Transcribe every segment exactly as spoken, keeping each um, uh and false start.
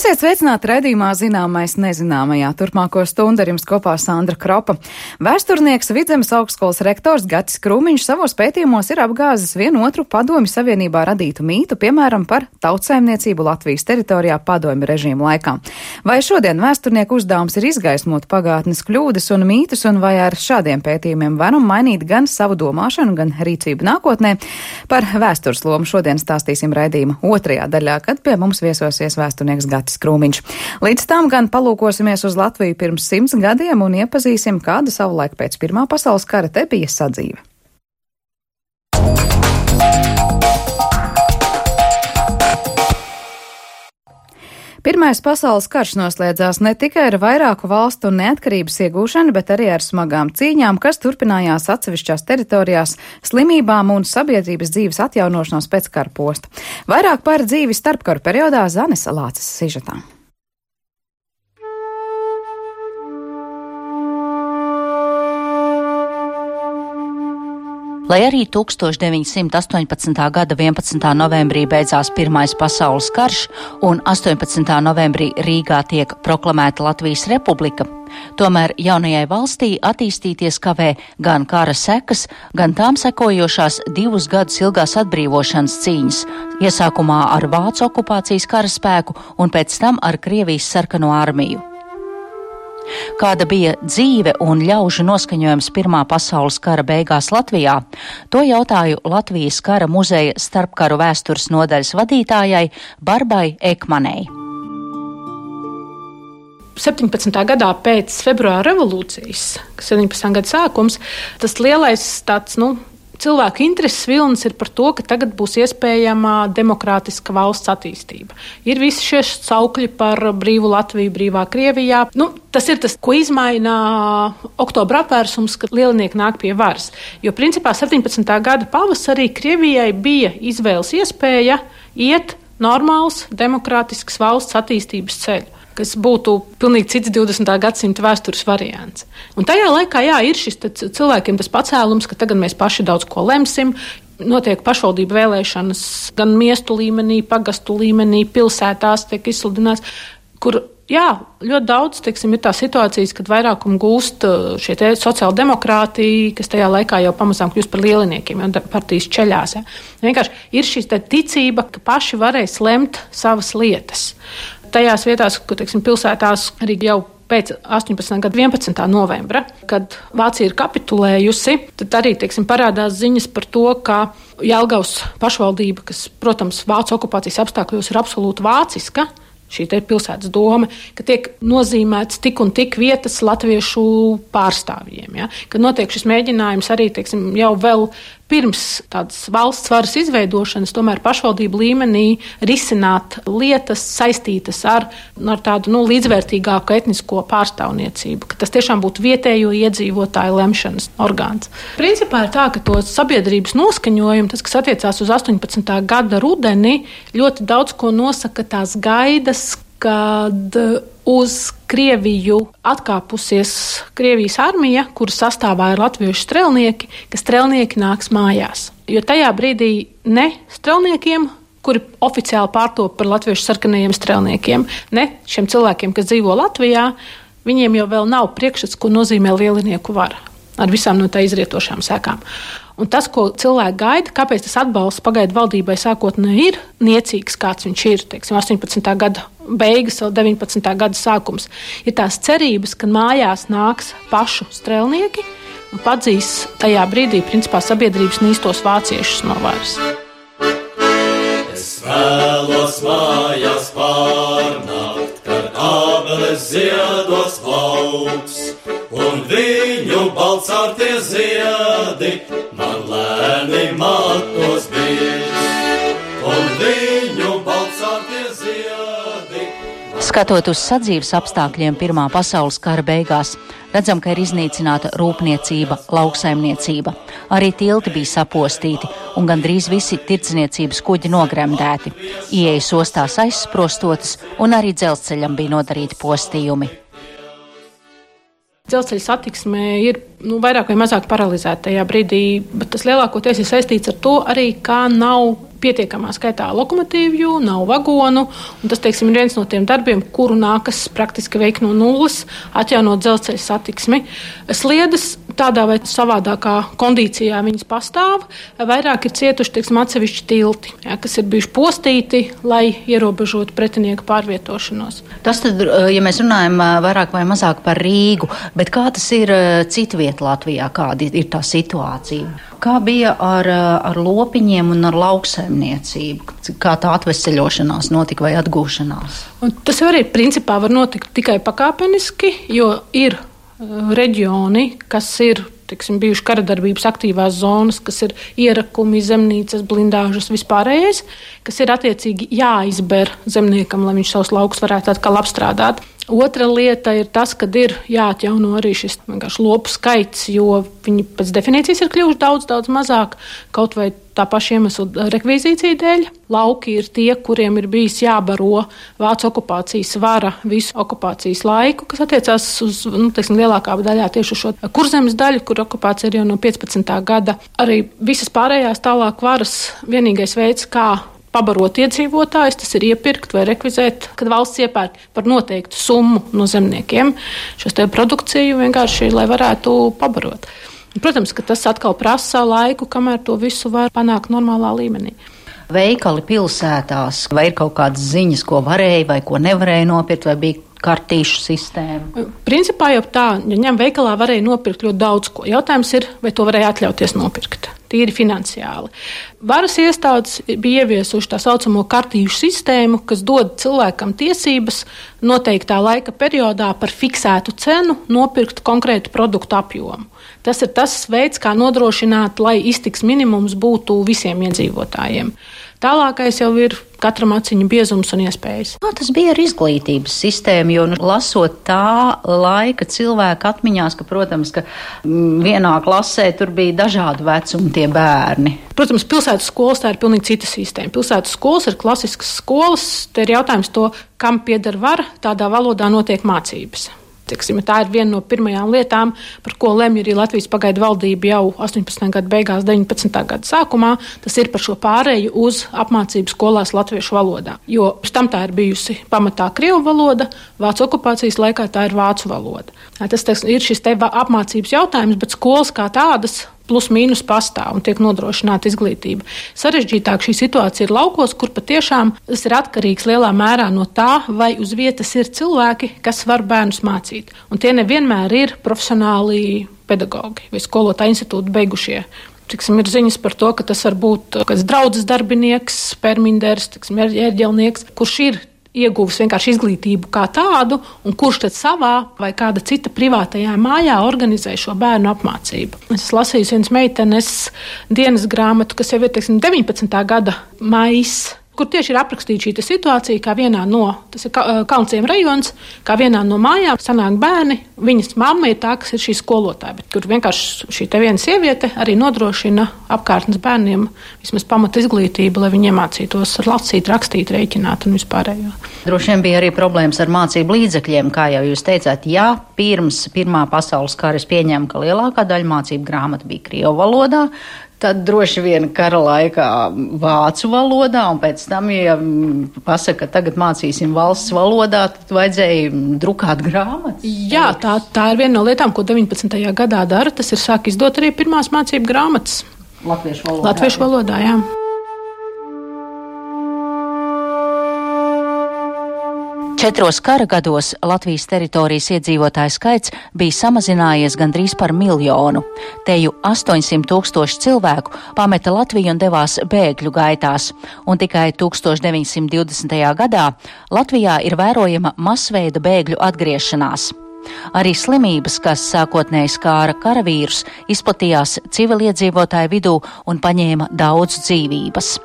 Esiet sveicināti raidījumā Zināmais nezināmajā. Turpmāko stundu ar jums kopā Sandra Kropa. Vēsturnieks, Vidzemes augstskolas rektors Gatis Krūmiņš savos pētījumos ir apgāzis vienu otru Padomju Savienībā radītu mītu, piemēram, par tautsaimniecību Latvijas teritorijā padomju režīmu laikā. Vai šodien vēsturnieku uzdevums ir izgaismot pagātnes kļūdas un mītus, un vai ar šādiem pētījumiem varam mainīt gan savu domāšanu, gan rīcību nākotnē? Par vēstures lomu šodien stāstīsim raidījuma otrajā daļā, kad pie mums viesosies vēsturnieks Gatis Krūmiņš. Līdz tam gan palūkosimies uz Latviju pirms simts gadiem un iepazīsim, kāda savulaik pēc Pirmā pasaules kara te bija sadzīve. Pirmais pasaules karš noslēdzās ne tikai ar vairāku valstu neatkarības iegūšanu, bet arī ar smagām cīņām, kas turpinājās atsevišķās teritorijās, slimībām un sabiedrības dzīves atjaunošanos pēc kara posta. Vairāk par dzīvi starpkaru periodā Zanes Lāces sižetā. Lai arī tūkstoš deviņsimt astoņpadsmitā gada vienpadsmitā novembrī beidzās Pirmais pasaules karš un astoņpadsmitā novembrī Rīgā tiek proklamēta Latvijas republika, tomēr jaunajai valstī attīstīties kavē gan kara sekas, gan tām sekojošās divus gadus ilgās atbrīvošanas cīņas, iesākumā ar Vācu okupācijas karaspēku un pēc tam ar Krievijas sarkano armiju. Kāda bija dzīve un ļaužu noskaņojums Pirmā pasaules kara beigās Latvijā, to jautāju Latvijas kara muzeja starpkaru vēstures nodaļas vadītājai Barbai Ekmanei. septiņpadsmitā gadā pēc februāra revolūcijas, kas septiņpadsmitā gada sākums, tas lielais tāds, nu, cilvēku intereses vilnis ir par to, ka tagad būs iespējama demokrātiska valsts attīstība. Ir visi šie saukļi par brīvu Latviju, brīvā Krievijā. Nu, tas ir tas, ko izmaina oktobra apvērsums, kad lielinieki nāk pie varas. Jo principā septiņpadsmitā gada pavasarī Krievijai bija izvēles iespēja iet normāls demokrātisks valsts attīstības ceļu, kas būtu pilnīgi cits divdesmitā gadsimta vēstures variants. Un tajā laikā, jā, ir šis cilvēkiem tas pacēlums, ka tagad mēs paši daudz ko lemsim, notiek pašvaldību vēlēšanas gan miestu līmenī, pagastu līmenī, pilsētās tiek izsludināts, kur, jā, ļoti daudz, teiksim, ir tā situācijas, kad vairākumu gūst šie te sociāldemokrāti, kas tajā laikā jau pamazām kļūst par lieliniekiem, jo partijas ceļās. Ja. Vienkārši ir šī ticība, ka paši varēs lemt savas lietas. Tajās vietās, kur, teiksim, pilsētās arī jau pēc astoņpadsmitā gada vienpadsmitā novembra, kad Vācija ir kapitulējusi, tad arī, teiksim, parādās ziņas par to, ka Jelgavas pašvaldība, kas, protams, Vācu okupācijas apstākļos ir absolūti vāciska, šī te pilsētas doma, ka tiek nozīmēts tik un tik vietas latviešu pārstāvjiem. Ja? Kad notiek šis mēģinājums arī, teiksim, jau vēl pirms tādas valsts varas izveidošanas, tomēr pašvaldību līmenī risināt lietas saistītas ar, ar tādu, nu, līdzvērtīgāku etnisko pārstāvniecību, ka tas tiešām būtu vietējo iedzīvotāju lemšanas orgāns. Principā ir tā, ka to sabiedrības noskaņojumu, tas, kas attiecās uz astoņpadsmitā gada rudeni, ļoti daudz ko nosaka tās gaidas, kad uz Krieviju atkāpusies Krievijas armija, kuras sastāvā ir latviešu strelnieki, ka strelnieki nāks mājās. Jo tajā brīdī ne strelniekiem, kuri oficiāli pārtop par latviešu sarkanajiem strelniekiem, ne šiem cilvēkiem, kas dzīvo Latvijā, viņiem jau vēl nav priekšstats, ko nozīmē lielinieku vara, ar visām no tā izrietošām sekām. Un tas, ko cilvēki gaida, kāpēc tas atbalsts pagaidu valdībai sākotnēji ir niecīgs, kāds viņš ir, teiksim, astoņpadsmitā gada beigas, vēl deviņpadsmitā gada sākums, ir tās cerības, ka mājās nāks pašu strelnieki un padzīs tajā brīdī, principā, sabiedrības nīstos vāciešus no varas. Es vēlos mājās pārnākt, kad ābeles ziedos plauks, un viņu balcārtie ziedi man lēni matos bijis, un viņu balcārtie ziedi. Skatot uz sadzīves apstākļiem Pirmā pasaules kara beigās, redzam, ka ir iznīcināta rūpniecība, lauksaimniecība. Arī tilti bija sapostīti un gandrīz visi tirdzniecības kuģi nogremdēti. Ieejas ostās aizsprostotas un arī dzelzceļam bija nodarīti postījumi. Dzelzceļa satiksme ir nu, vairāk vai mazāk paralizēta tajā brīdī, bet tas lielākoties ir saistīts ar to arī, kā nav pietiekamā skaitā lokomotīvju, nav vagonu, un tas, teiksim, ir viens no tiem darbiem, kuru nākas praktiski veikt no nulles, atjaunot dzelzceļa satiksmi. Sliedes tādā vai savādākā kondīcijā viņas pastāv, vairāk ir cietuši, teiksim, atsevišķi tilti, ja, kas ir bijuši postīti, lai ierobežotu pretinieku pārvietošanos. Tas tad, ja mēs runājam vairāk vai mazāk par Rīgu, bet kā tas ir citviet Latvijā, kāda ir tā situācija? Kā bija ar, ar lopiņiem un ar lauksaimniecību? Kā tā atveseļošanās notika vai atgūšanās? Un tas arī principā var notikt tikai pakāpeniski, jo ir reģioni, kas ir, teiksim, bijuši karadarbības aktīvās zonas, kas ir ierakumi, zemnīcas, blindāžas, vispārējais, kas ir attiecīgi jāizber zemniekam, lai viņš savus laukus varētu atkal apstrādāt. Otra lieta ir tas, ka ir jāatjauno arī šis vienkārši lopu skaits, jo viņi pēc definīcijas ir kļuvuši daudz, daudz mazāk, kaut vai tā paša iemesla rekvizīcija dēļ. Lauki ir tie, kuriem ir bijis jābaro vācu okupācijas vara visu okupācijas laiku, kas attiecās uz, nu, teiksim, lielākā daļā tieši uz šo Kurzemes daļu, kur okupācija ir jau no piecpadsmitā gada. Arī visas pārējās tālāk varas vienīgais veids, kā pabarot iedzīvotājus, tas ir iepirkt vai rekvizēt, kad valsts iepērk par noteiktu summu no zemniekiem šos te produkciju vienkārši, lai varētu pabarot. Protams, ka tas atkal prasa laiku, kamēr to visu var panākt normālā līmenī. Veikali pilsētās, vai ir kaut kādas ziņas, ko varēja vai ko nevarēja nopirkt, vai bija kartīšu sistēma? Principā jau tā, ja ņem veikalā varēja nopirkt ļoti daudz ko. Jautājums ir, vai to varēja atļauties nopirkt. Tīri finansiāli. Varas iestādes bija ieviesuši tā saucamo kartīšu sistēmu, kas dod cilvēkam tiesības noteiktā laika periodā par fiksētu cenu nopirkt konkrētu produktu apjomu. Tas ir tas veids, kā nodrošināt, lai iztiks minimums būtu visiem iedzīvotājiem. Tālākais jau ir katram aciņu biezums un iespējas. Kā tas bija ar izglītības sistēmu, jo nu, lasot tā laika cilvēku atmiņās, ka, protams, ka vienā klasē tur bija dažādu vecumu tie bērni. Protams, pilsētas skolas tā ir pilnīgi cita sistēma. Pilsētas skolas ir klasiskas skolas, te ir jautājums to, kam pieder vara, tādā valodā notiek mācības. Tiksim, tā ir viena no pirmajām lietām, par ko lemj arī Latvijas pagaidu valdība jau astoņpadsmitā gada beigās, deviņpadsmitā gada sākumā. Tas ir par šo pārēju uz apmācību skolās latviešu valodā. Jo pēc tam tā ir bijusi pamatā krievu valoda, vācu okupācijas laikā tā ir vācu valoda. Tas teiks, ir šis te apmācības jautājums, bet skolas kā tādas plus mīnus pastāv un tiek nodrošināta izglītība. Sarežģītāk šī situācija ir laukos, kur patiešām tas ir atkarīgs lielā mērā no tā, vai uz vietas ir cilvēki, kas var bērnus mācīt. Un tie nevienmēr ir profesionāli pedagogi vai skolotāju institūtu beigušie. Tiksim, ir ziņas par to, ka tas var būt kāds draudzes darbinieks, perminders, tiksim, ērģelnieks, kurš ir ieguvis vienkārši izglītību kā tādu, un kurš tad savā vai kāda cita privātajā mājā organizē šo bērnu apmācību. Es esmu lasījusi vienas meitenes dienas grāmatu, kas jau ir, teiksim, deviņpadsmitā gada maijs, kur tieši ir aprakstīta šī situācija, kā vienā no, tas ir Kalnciem rajons, kā vienā no mājām sanāk bērni, viņas mamma ir tā, kas ir šī skolotāja, bet tur vienkārši šī te viena sieviete arī nodrošina apkārtnes bērniem vismaz pamata izglītību, lai viņi iemācītos lasīt, rakstīt, rēķināt un vispārējo. Droši vien bija arī problēmas ar mācību līdzekļiem, kā jau jūs teicāt, ja pirms Pirmā pasaules kara es pieņēmu, ka lielākā daļa mācību grāmatu bija krievu valodā, tad droši vien kara laikā vācu valodā, un pēc tam, ja pasaka, ka tagad mācīsim valsts valodā, tad vajadzēja drukāt grāmatas. Jā, tā, tā ir viena no lietām, ko deviņpadsmitajā gadā dara. Tas ir sāk izdot arī pirmās mācību grāmatas. Latviešu valodā. Latviešu valodā, jā. Četros kara gados Latvijas teritorijas iedzīvotāju skaits bija samazinājies gandrīz par miljonu. Teju astoņsimt tūkstoši cilvēku pameta Latviju un devās bēgļu gaitās, un tikai deviņdesmit divdesmitajā gadā Latvijā ir vērojama masveida bēgļu atgriešanās. Arī slimības, kas sākotnēji skāra karavīrus, izplatījās civiliedzīvotāju vidū un paņēma daudz dzīvības.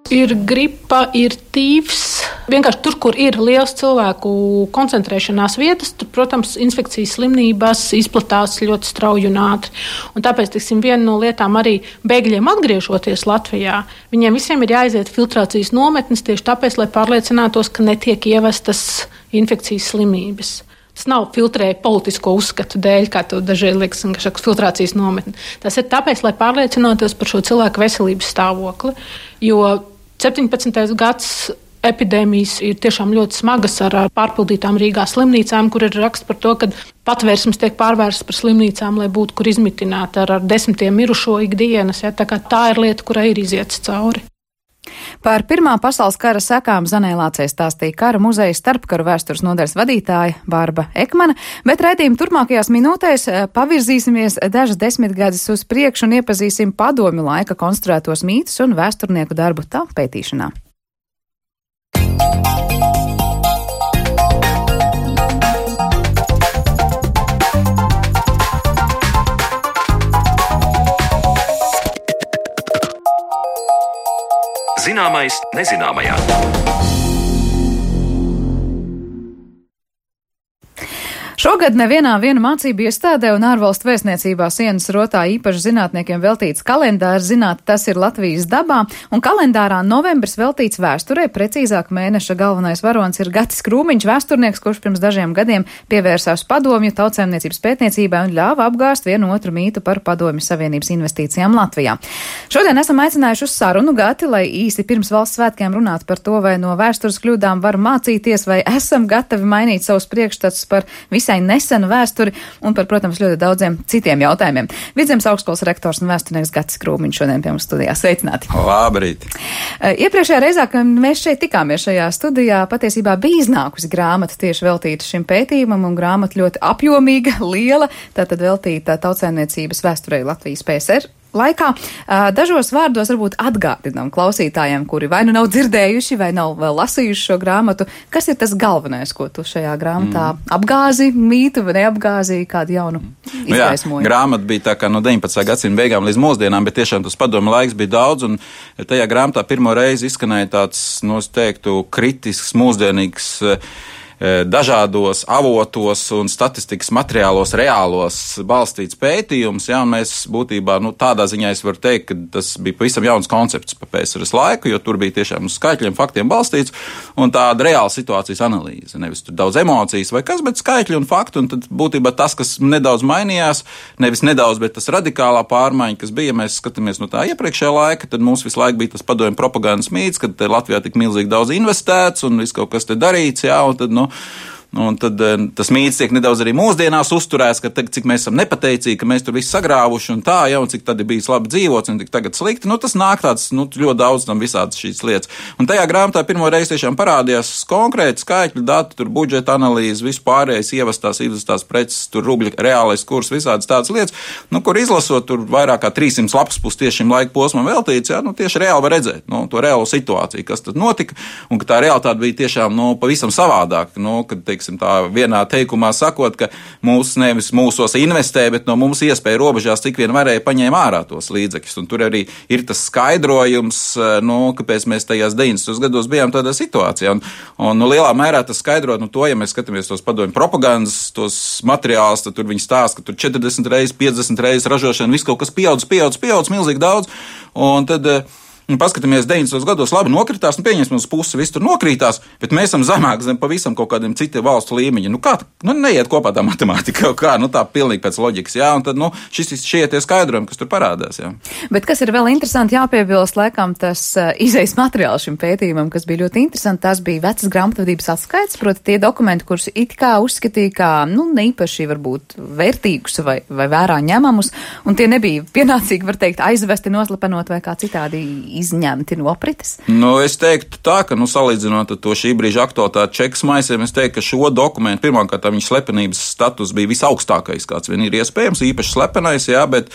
Ir gripa, ir tīfs. Vienkārši tur, kur ir liels cilvēku koncentrēšanās vietas, tur, protams, infekcijas slimības izplatās ļoti strauji un ātri. Un tāpēc, tiksim, viena no lietām arī bēgļiem atgriežoties Latvijā, viņiem visiem ir jāiziet filtrācijas nometnes tieši tāpēc, lai pārliecinātos, ka netiek ievestas infekcijas slimības. Tas nav filtrēja politisko uzskatu dēļ, kā to dažreiz liekas, ka šāds filtrācijas nometne. Tas ir tāpēc, lai pārliecinātos par šo cilvēku veselības stāvokli, jo septiņpadsmitais gads epidēmijas ir tiešām ļoti smagas ar pārpildītām Rīgā slimnīcām, kur ir raksts par to, ka patvērsmes tiek pārvērstas par slimnīcām, lai būtu kur izmitināt ar, ar desmitiem mirušo ikdienas. Ja, tā, tā ir lieta, kurai ir iziets cauri. Par Pirmā pasaules kara sekām Zanēlācei stāstīja Kara muzeja starpkaru vēstures nodaļas vadītāja Bārba Ekmane, bet raidījuma turpmākajās minūtēs pavirzīsimies dažas desmitgades uz priekšu un iepazīsim padomju laika konstruētos mītus un vēsturnieku darbu tā pētīšanā. Zināmais nezināmajā. Šogad nevienā viena mācību iestādē un ārvalstu vēstniecībā sienas rotā īpaši zinātniekiem veltīts kalendārs. Zināt, tas ir Latvijas dabā, un kalendārā novembris veltīts vēsturē. Precīzāk mēneša galvenais varonis ir Gatis Krūmiņš, vēsturnieks, kurš pirms dažiem gadiem pievērsās padomju tautsēmniecības pētniecībai un ļāva apgāst vienu otru mītu par Padomju Savienības investīcijām Latvijā. Šodien esam aicinājuši uz sarunu Gati, lai īsi pirms valsts svētkiem runātu par to, vai no vēstures kļūdām var mācīties, vai esam gatavi mainīt savus priekšstats par visai nesenu vēsturi un par, protams, ļoti daudziem citiem jautājumiem. Vidzemes augstskolas rektors un vēsturnieks Gatis Krūmiņš šodien pie mums studijā. Sveicināti! Labrīt! Iepriekšējā reizē, kad mēs šeit tikāmies šajā studijā, patiesībā bija iznākusi grāmata tieši veltīta šim pētījumam, un grāmata ļoti apjomīga, liela, tātad veltīta tautsēmniecības vēsturei Latvijas P S R laikā. Dažos vārdos varbūt atgādinām klausītājiem, kuri vai nu nav dzirdējuši, vai nav vēl lasījuši šo grāmatu, kas ir tas galvenais, ko tu šajā grāmatā mm. apgāzi, mītu vai neapgāzi, kādu jaunu izgaismojumu. Nu, grāmata bija tā kā no deviņpadsmitā gadsimta beigām līdz mūsdienām, bet tiešām tas padomu laiks bija daudz, un tajā grāmatā pirmo reizi izskanēja tāds, nu, es teiktu, kritisks, mūsdienīgs, dažādos avotos un statistikas materiālos reālos balstīts pētījums, ja, un mēs būtībā, nu, tādā ziņā es varu teikt, ka tas bija pavisam jauns koncepts pa P S R S laiku, jo tur bija tiešām uz skaitļiem, faktiem balstīts, un tāda reāla situācijas analīze, nevis tur daudz emocijas vai kas, bet skaitļi un fakti, un tad būtībā tas, kas nedaudz mainījās, nevis nedaudz, bet tas radikālā pārmaiņa, kas bija, mēs skatāmies no tā iepriekšējā laika, tad mums visu laiku bija tas padomju propagandas mīts, kad Latvijā tik milzīgi daudz investēts un viss kaut kas te darīts, jā, un tad, nu, un tad tas mīts tiek nedaudz arī mūsdienās uzturēts, ka tagad, cik mēs esam nepateicīgi, ka mēs tur visu sagrāvuši un tā, ja, un cik tad ir bijis labi dzīvots un tik tagad slikti, nu tas nāk tāds, nu ļoti daudz tam visādas šīs lietas. Un tajā grāmatā pirmo reizi tiešām parādījās konkrēti skaitļu dati, tur budžeta analīze, vispārējais ievestās, ievestās preces, tur rubļa reālais kurs, visādas tādas lietas, nu, kur izlasot, tur vairāk kā trīssimts lapas pus tieši šim laika posmam veltīts, ja, nu tieši reāli var redzēt, nu, to reālo situāciju, kas tad notika, un ka tā realitāte bija tiešām, nu, pavisam savādāk, nu, kad, teiksim, tā vienā teikumā sakot, ka mūs nevis mūsos investē, bet no mums iespēja robežās cik vien varēja paņēma ārā tos līdzekļus. Un tur arī ir tas skaidrojums, nu, kāpēc mēs tajās deviņdesmitajos gados bijām tādā situācijā. Un, un nu, lielā mērā tas skaidrot, nu, to, ja mēs skatāmies tos padomju propagandas, tos materiālus, tad tur viņi stāsta, ka tur četrdesmit reizes, piecdesmit reizes ražošana, viss kaut kas pieaudz, pieaudz, pieaudz, milzīgi daudz. Un tad un paskatāmies, deviņdesmitajos gados labi nokritās, un pieņemsim uz pusi, viss tur nokrītās, bet mēs esam zemāk zem pavisam kaut kādiem citiem valstu līmeņiem. Nu kā, nu neiet kopā tā matemātika, kā, nu tā pilnīgi pēc loģikas, jā, un tad, nu, šis, šie tie skaidrojumi, kas tur parādās, jā. Bet kas ir vēl interesanti jāpiebilst, laikam, tas uh, izejas materiāls šim pētījumam, kas bija ļoti interesanti, tas bija vecas grāmatvedības atskaits, proti tie dokumenti, kurus it kā uzskatīja kā, nu, neīpaši varbūt vērtīgus vai, vai vērā ņemamus, un tie nebija pienācīgi, var teikt, aizvesti, noslepenot vai kā citādi izņemti no aprites? Nu, es teiktu tā, ka, nu, salīdzinot to šī brīža aktualitāti čekas maisiem, es teiktu, ka šo dokumentu pirmkārt viņa slepenības status bija visaugstākais, kāds vien ir iespējams, īpaši slepenais, jā, bet,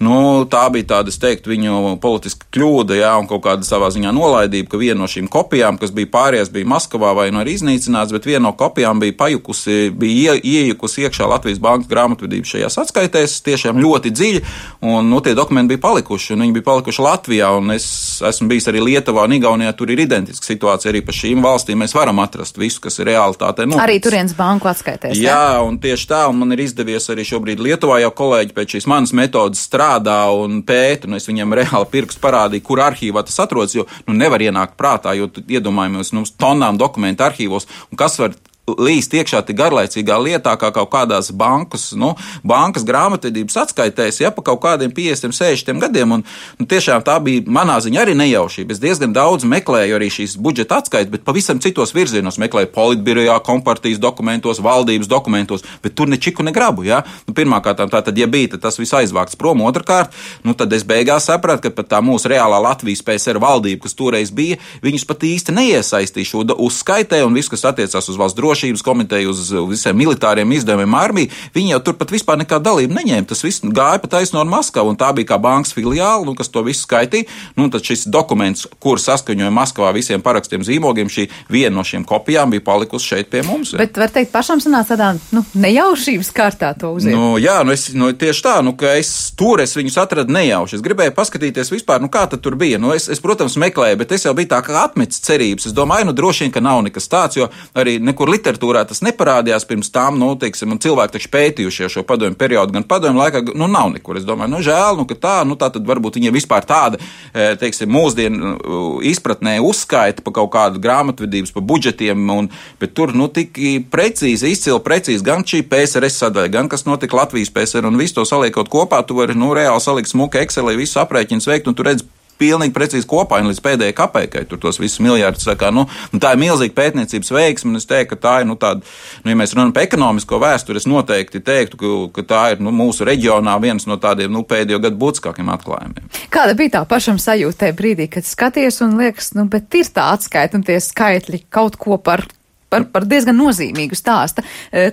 nu, tā bija tāda, es teiktu, viņu politiska kļūda, jā, un kaut kāda savā ziņā nolaidība, ka viena no šīm kopijām, kas bija pāries, bija Maskavā vai nu arī iznīcināts, bet viena no kopijām bija pajukusi, bija ie, iejukusi iekšā Latvijas bankas grāmatvedības šajās atskaitēs, tiešām ļoti dziļi, un, nu, tie dokumenti bija palikuši, un viņi bija palikuši Latvijā, un es esmu bijis arī Lietuvā un Igaunijā, tur ir identiska situācija arī pa šīm valstīm. Mēs varam atrast visu, kas ir realitātē noticis. Arī turienes banku atskaitēs. Jā, jā, un tieši tā, un man ir izdevies arī šobrīd Lietuvā jau kolēģi pēc šīs manas metodas strādā un pēta, un es viņiem reāli pirkstu parādīju, kur arhīvā tas atrodas, jo, nu, nevar ienākt prātā, jo iedomājamies, nu, tonnām dokumentu arhīvos, un kas var līst iekšā tik garlaicīgā lietā, kā kaut kādās bankas, nu, bankas grāmatvedības atskaitēs, ja pa kaut kādiem piecdesmit, sešdesmit gadiem, un nu, tiešām tā bija manā ziņā arī nejaušība. Es diezgan daudz meklēju arī šīs budžeta atskaites, bet pavisam citos virzienos meklēju politbirojā, kompartijas dokumentos, valdības dokumentos, bet tur ne čiku, ne grabu, ja? Nu, pirmkārt, tā tad, ja bija, tad tas viss aizvākts prom, otrkārt, nu, tad es beigās sapratu, ka pat tā mūsu reālā Latvijas P S R valdība, kas toreiz bija, viņus pat īsti neiesaistīja šo uzskaitē, un viss, kas attiecās uz valsts drošības komiteju, uz visiem militāriem izdevumiem armiju, viņi jau tur pat vispār nekā dalību neņēma. Tas viss gāja pa taisno ar Maskavu, un tā bija kā bankas filiāla, nu, kas to visu skaitīja. Nu, tad šis dokuments, kur saskaņoja Maskavā visiem parakstiem zīmogiem, šī viena no šīm kopijām bija palikusi šeit pie mums. Ja. Bet var teikt, pašam sanāca tādā, nu, nejaušības kārtā to uziet. Nu, jā, nu, es, nu, tieši tā, nu, ka es tur es viņus atradu nejauši. Es gribēju paskatīties vispār, nu, kā tad tur bija. Nu, es, es, protams, meklēju, bet es jau biju tā kā atmetis cerības. Es domāju, nu, droši vien, ka nav nekas tāds, jo arī nekur literatūrā tas neparādījās pirms tām, nu, teiksim, un cilvēki taču pētījušie šo padomju periodu, gan padomju laikā, nu, nav nekur. Es domāju, nu, žēl, nu, ka tā, nu, tā tad varbūt viņiem vispār tāda, teiksim, mūsdienu izpratnē uzskaita pa kaut kādu grāmatvedības, pa budžetiem, un, bet tur, nu, tik precīzi, izcili precīzi, gan šī P S R S sadaļa, gan kas notika Latvijas P S R, un visu to saliekot kopā, tu vari, nu, reāli salikt smuka Excelī, visu aprēķinus veikt, un tu redz pilnīgi precīzi kopā, un līdz pēdējai kapeikai tur tos visus miljārdus sakā, nu, tā ir milzīga pētniecības veiksme, un es teiktu, ka tā ir, nu, tāda, nu, ja mēs runājam par ekonomisko vēsturi, es noteikti teiktu, ka, ka tā ir, nu, mūsu reģionā viens no tādiem, nu, pēdējo gadu būtiskākiem atklājumiem. Kāda bija tā pašam sajūta tajā brīdī, kad skaties un liekas, nu, bet ir tā atskaita un tie skaitļi kaut ko par Par, par diezgan nozīmīgu stāstu.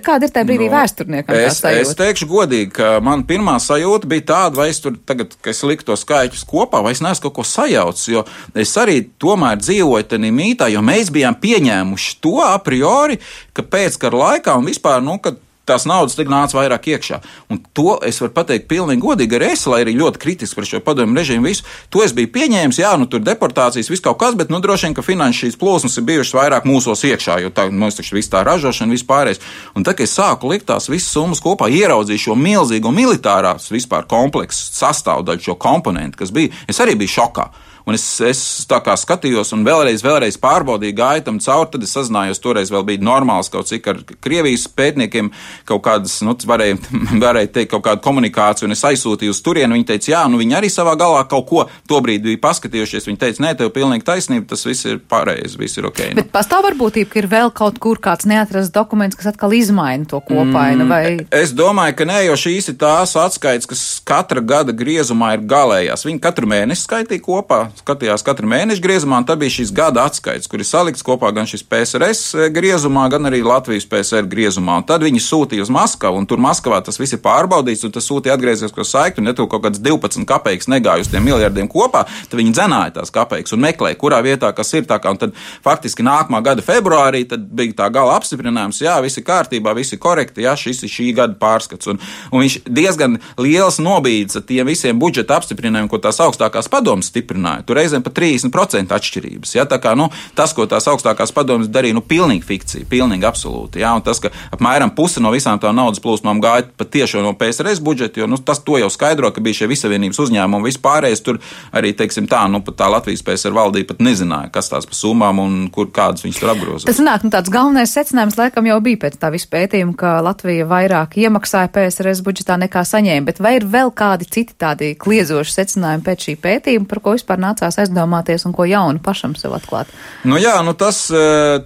Kāda ir tajā brīdī no, vēsturniekam tā es, sajūta? Es teikšu godīgi, ka man pirmā sajūta bija tāda, vai es tur tagad, ka es liku to skaitļus kopā, vai es neesmu kaut ko sajaucis, jo es arī tomēr dzīvoju tenī mītā, jo mēs bijām pieņēmuši to a priori, ka pēckara laikā un vispār, nu, kad tās naudas tik nāca vairāk iekšā. Un to es varu pateikt pilnīgi godīgi, arī es, lai arī ļoti kritiski par šo padomju režīmu visu, to es biju pieņēmis, jā, nu tur deportācijas, viss kaut kas, bet, nu, droši vien, ka finanšu šīs plūsmas ir bijušas vairāk mūsos iekšā, jo tā, mums taču viss tā ražošana, viss pārējais. Un tad, kad es sāku likt tās visas summas kopā, ieraudzīju šo milzīgo militārās vispār kompleksu sastāvdaļu, šo komponentu, kas bija, es arī biju šokā. Un es, es tā kā skatījos un vēlreiz, vēlreiz pārbaudīju, gāju tam cauri, tad es sazinājos, toreiz vēl bija normāls kaut cik ar Krievijas pētniekiem, kaut kādas, nu, varēja, varēja teikt, kaut kādu komunikāciju, un es aizsūtīju uz turienu, viņi teica, jā, nu, viņi arī savā galā kaut ko tobrīd bija paskatījušies, viņi teica, nē, tev pilnīgi taisnība, tas viss ir pareizi, viss ir ok. Nu. Bet pastāv varbūtība, ka ir vēl kaut kur kāds neatrasts dokuments, kas atkal izmaina to kopainu, vai? Mm, es domāju, ka nē, jo šīs ir tās atskaites, kas katra gada griezumā ir galējās. Viņi katru mēnesi skaitīja kopā. Skatījās katru mēnešu griezumā, un tad bija šīs gada atskaites, kur ir salikts kopā gan šis P S R S griezumā, gan arī Latvijas P S R griezumā. Un tad viņi sūtīja uz Maskavu, un tur Maskavā tas viss ir pārbaudīts, un tas sūtīja atgriezisko saikti, un ja tur kaut kāds divpadsmit kapeikas negāja uz tiem miljardiem kopā, tad viņi dzenāja tās kapeikas un meklēja, kurā vietā kas ir tā kā, un tad faktiski nākamā gada februārī tad bija tā gala apstiprinājums, jā, viss ir kārtībā, viss ir korekti, jā, šis ir šī gada pārskats. Un, un viņš diezgan liels nobīdes ar tiem visiem budžeta apstiprinājumiem, ko tās augstākās padomas stiprināja. Tur reizēm pat trīsdesmit procenti atšķirības. Ja? Tā kā, nu, tas, ko tās augstākās padomas darīja, nu, pilnīgi fikcija, pilnīgi absolūti. Ja? Un tas, ka apmēram puse no visām tām naudas plūsmām gāja pat tiešo no P S R S budžeta, jo, nu, tas to jau skaidro, ka bija šie visavienības uzņēmumi un vispārējais tur arī, teiksim tā, nu, pat tā Latvijas P S R valdība pat nezināja, kas tās pa summām un kur kādas viņas tur apgrozās. Tas nāk, nu, tāds galvenais secinājums laikam jau bija pēc tā visu pētījumu, ka Latvija vairāk iemaksāja P S R S budžetā nekā saņēma, bet vai ir vēl kādi citi tādi kliezoši secinājumi pēc šī pētījuma, par ko vispār nācās aizdomāties un ko jaunu pašam sev atklāt? Nu jā, nu tas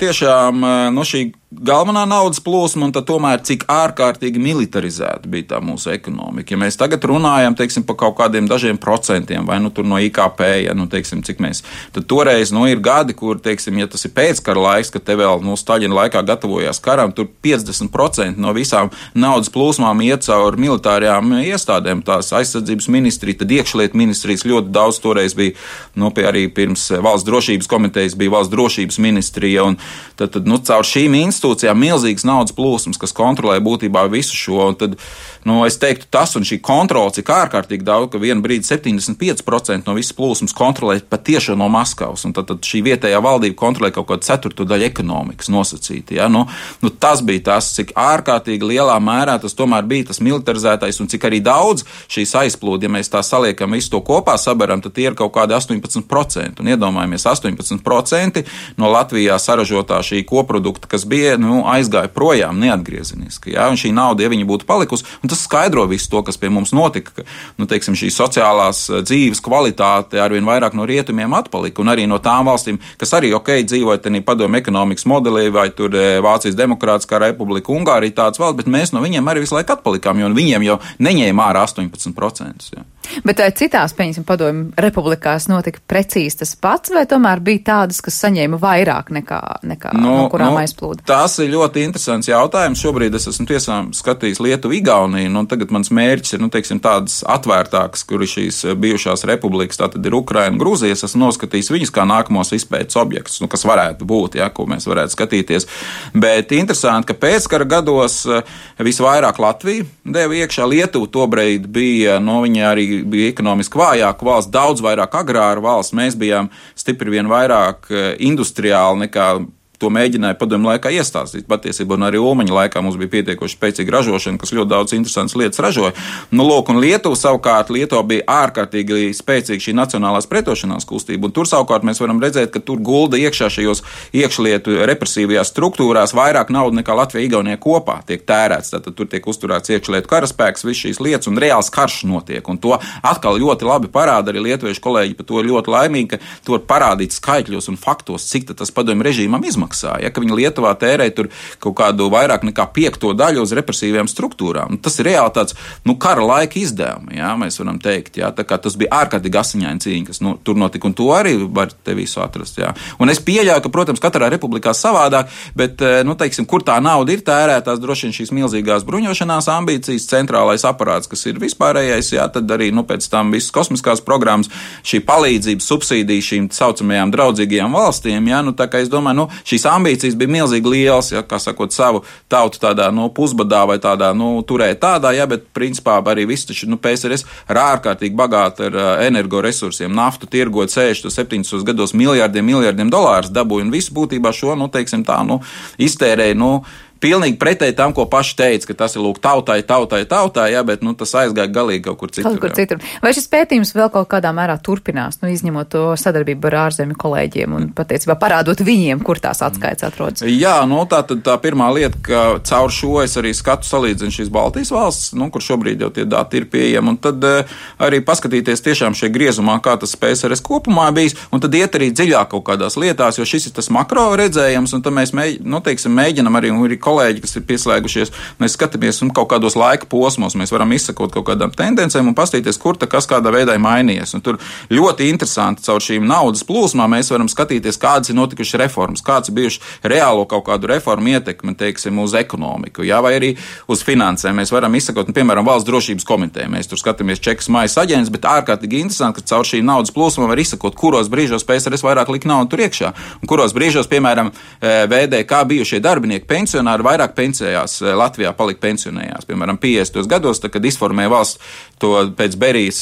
tiešām, nu šī galvenā naudas plūsma, un tad tomēr cik ārkārtīgi militarizēta bija tā mūsu ekonomika. Ja mēs tagad runājam, teiksim, par kaut kādiem dažiem procentiem, vai nu tur no I K P, ja, nu, teiksim, cik mēs, tad toreiz, nu, ir gadi, kur, teiksim, ja tas ir pēckara laiks, kad te vēl, nu, Staļina laikā gatavojās karam, tur piecdesmit procenti no visām naudas plūsmām iet caur militārajām iestādēm, tās aizsardzības ministrija, tad iekšlietu ministrijas ļoti daudz toreiz bija, nu, pie arī pirms valsts drošības komitejas bija valsts drošības ministrija, un tad, tad nu, caur šīm institūcijām milzīgas naudas plūsmas, kas kontrolē būtībā visu šo, un tad, nu, es teiktu, tas un šī kontrola, cik ārkārtīgi daudz, ka vienu brīdi septiņdesmit pieci procenti no visas plūsmas kontrolē patiešo no Maskavas, un tad, tad šī vietējā valdība kontrolē kaut kādu ceturto daļu ekonomikas nosacīti, ja, nu, nu, tas bija tas, cik ārkārtīgi lielā mērā tas tomēr bija tas militarizētais, un cik arī daudz šīs aizplūdi, ja mēs tā saliekam visu to kopā sabaram, tad tie ir kaut kādi astoņpadsmit procenti, un iedomājamies astoņpadsmit procenti no Latvijā saražotā šī koprodukta, kas bija tie nu, aizgāja projām neatgriezeniski. Ja? Un šī nauda, ja viņa būtu palikusi, un tas skaidro visu to, kas pie mums notika, ka nu, teiksim, šī sociālās dzīves kvalitāte arvien vairāk no rietumiem atpalika, un arī no tām valstīm, kas arī ok, dzīvoja tenī padomu ekonomikas modelī, vai tur Vācijas Demokrātiskā republika, Ungārija tāds valsts, bet mēs no viņiem arī visu laiku atpalikām, jo viņiem jau neņēma ārā astoņpadsmit procentus. Ja. Bet vai citās, pieņemsim, padomju republikās notika precīzi tas pats, vai tomēr bija tādas, kas saņēma vairāk nekā, nekā nu, no kurām nu, aizplūda? Tas ir ļoti interesants jautājums. Šobrīd es esmu tiesām skatījis Lietuvu, Igauniju, un tagad mans mērķis ir, nu, teiksim, tādas atvērtākas, kur ir šīs bijušās republikas, tātad ir Ukraina, Grūzija, es esmu noskatījis viņus kā nākamos izpētes objektus, nu, kas varētu būt, ja, ko mēs varētu skatīties. Bet interesanti, ka pēckara gados visvairāk Latvija deva iekšā, Lietuva tobrīd bija, no viņa arī bija ekonomiski vājāka valsts, daudz vairāk agrāra valsts. Mēs bijām stipri vien vairāk industriāli nekā to mēģināja padomju laikā iestāstīt. Patiesībā un arī Ulmaņa laikā mums bija pietiekoši spēcīga ražošana, kas ļoti daudz interesantas lietas ražoja. Nu, lūk, un Lietuva savukārt, Lietuva bija ārkārtīgi spēcīga šī nacionālās pretošanās kustība, un tur savukārt mēs varam redzēt, ka tur gulda iekšā šajos iekšlietu represīvajās struktūrās vairāk naudu nekā Latvija, Igaunija kopā tiek tērēts. Tātad tur tiek uzturēts iekšlietu karaspēks, viss šīs lietas, un reāls karš notiek. Un to atkal ļoti labi parāda arī lietuviešu kolēģi, par to ļoti laimīgi, ka to var parādīt skaitļos un faktos, cik tas padomju režīmam izmaksā. Ja, ka viņi Lietuvā tērē tur kaut kādu vairāk nekā piekto daļu uz represīvajām struktūrām. Nu, tas ir reāli tāds nu, kara laika izdevumi, ja, mēs varam teikt. Ja, tā kā tas bija ārkārtīgi asiņaina cīņa, kas nu, tur notika, un to arī var te visu atrast. Ja. Un es pieļauju, ka, protams, katrā republikā savādāk, bet, nu, teiksim, kur tā nauda ir tērētās, droši vien šīs milzīgās bruņošanās ambīcijas, centrālais aparāts, kas ir vispārējais, ja, tad arī, nu, pēc tam visas kosmiskās programmas, šī palīdzība, subsīdija šīm saucamajām draudzīgajām valstīm, ja, nu, tā kā es domāju, nu, šīs ambīcijas bija milzīgi lielas, ja, kā sakot, savu tautu tādā, nu, pusbadā vai tādā, nu, turēt tādā, ja, bet principā arī viss taču, nu, P S R S ir ārkārtīgi bagāti ar uh, energoresursiem, naftu tirgot sešdesmit septiņdesmit gados miljārdiem, miljārdiem dolārus dabūja, un visu būtībā šo, nu, teiksim tā, nu, iztērēja, nu, pilnīgi pretēji tam, ko paši teica, ka tas ir lūk tautai, tautai, tautai, jā, bet nu, tas aizgāja galīgi kaut kur citur. Kaut kur citur. Vai šis pētījums vēl kaut kādā mērā turpinās, nu, izņemot to sadarbību ar ārzemju kolēģiem un patiesībā parādot viņiem, kur tās atskaites atrodas? Jā, nu tā tad tā pirmā lieta, ka caur šo es arī skatu salīdzinu šīs Baltijas valsts, nu, kur šobrīd jau tie dati ir pieejami, un tad uh, arī paskatīties tiešām šie griezumā, kā tas P S R S kopumā bijis, un tad iet arī dziļāk kaut kādās lietās, jo šis ir tas makro redzējums, un tad mēs mēģ, nu, teiksim, mēģinam arī, un arī kolēģi, kas ir pieslēgušies, mēs skatāmies un kaut kādos laika posmos, mēs varam izsakot kaut kādām tendencēm un pastīties, kur tā kas kādā veidā ir mainījies. Un tur ļoti interesanti caur šīm naudas plūsmām mēs varam skatīties, kādas ir notikušas reformas, kāds ir bijuši reālo kaut kādu reformu ietekme, teiksim, uz ekonomiku, jā, vai arī uz finansēm. Mēs varam izsakot, un, piemēram, valsts drošības komiteja. Mēs tur skatāmies čekas maijas aģents, bet ārkārtīgi interesanti, ka caur šīm naudas plūsmām var izsakot, kuros brīžos P S R S vairāk lika naudu tur iekšā, un kuros brīžos, piemēram, V D K bijušie darbinieki, pensionāri vairāk pensējās, Latvijā palika pensionējās. Piemēram, piecdesmitos gados, tad, kad izformēja valsts to pēc Berijas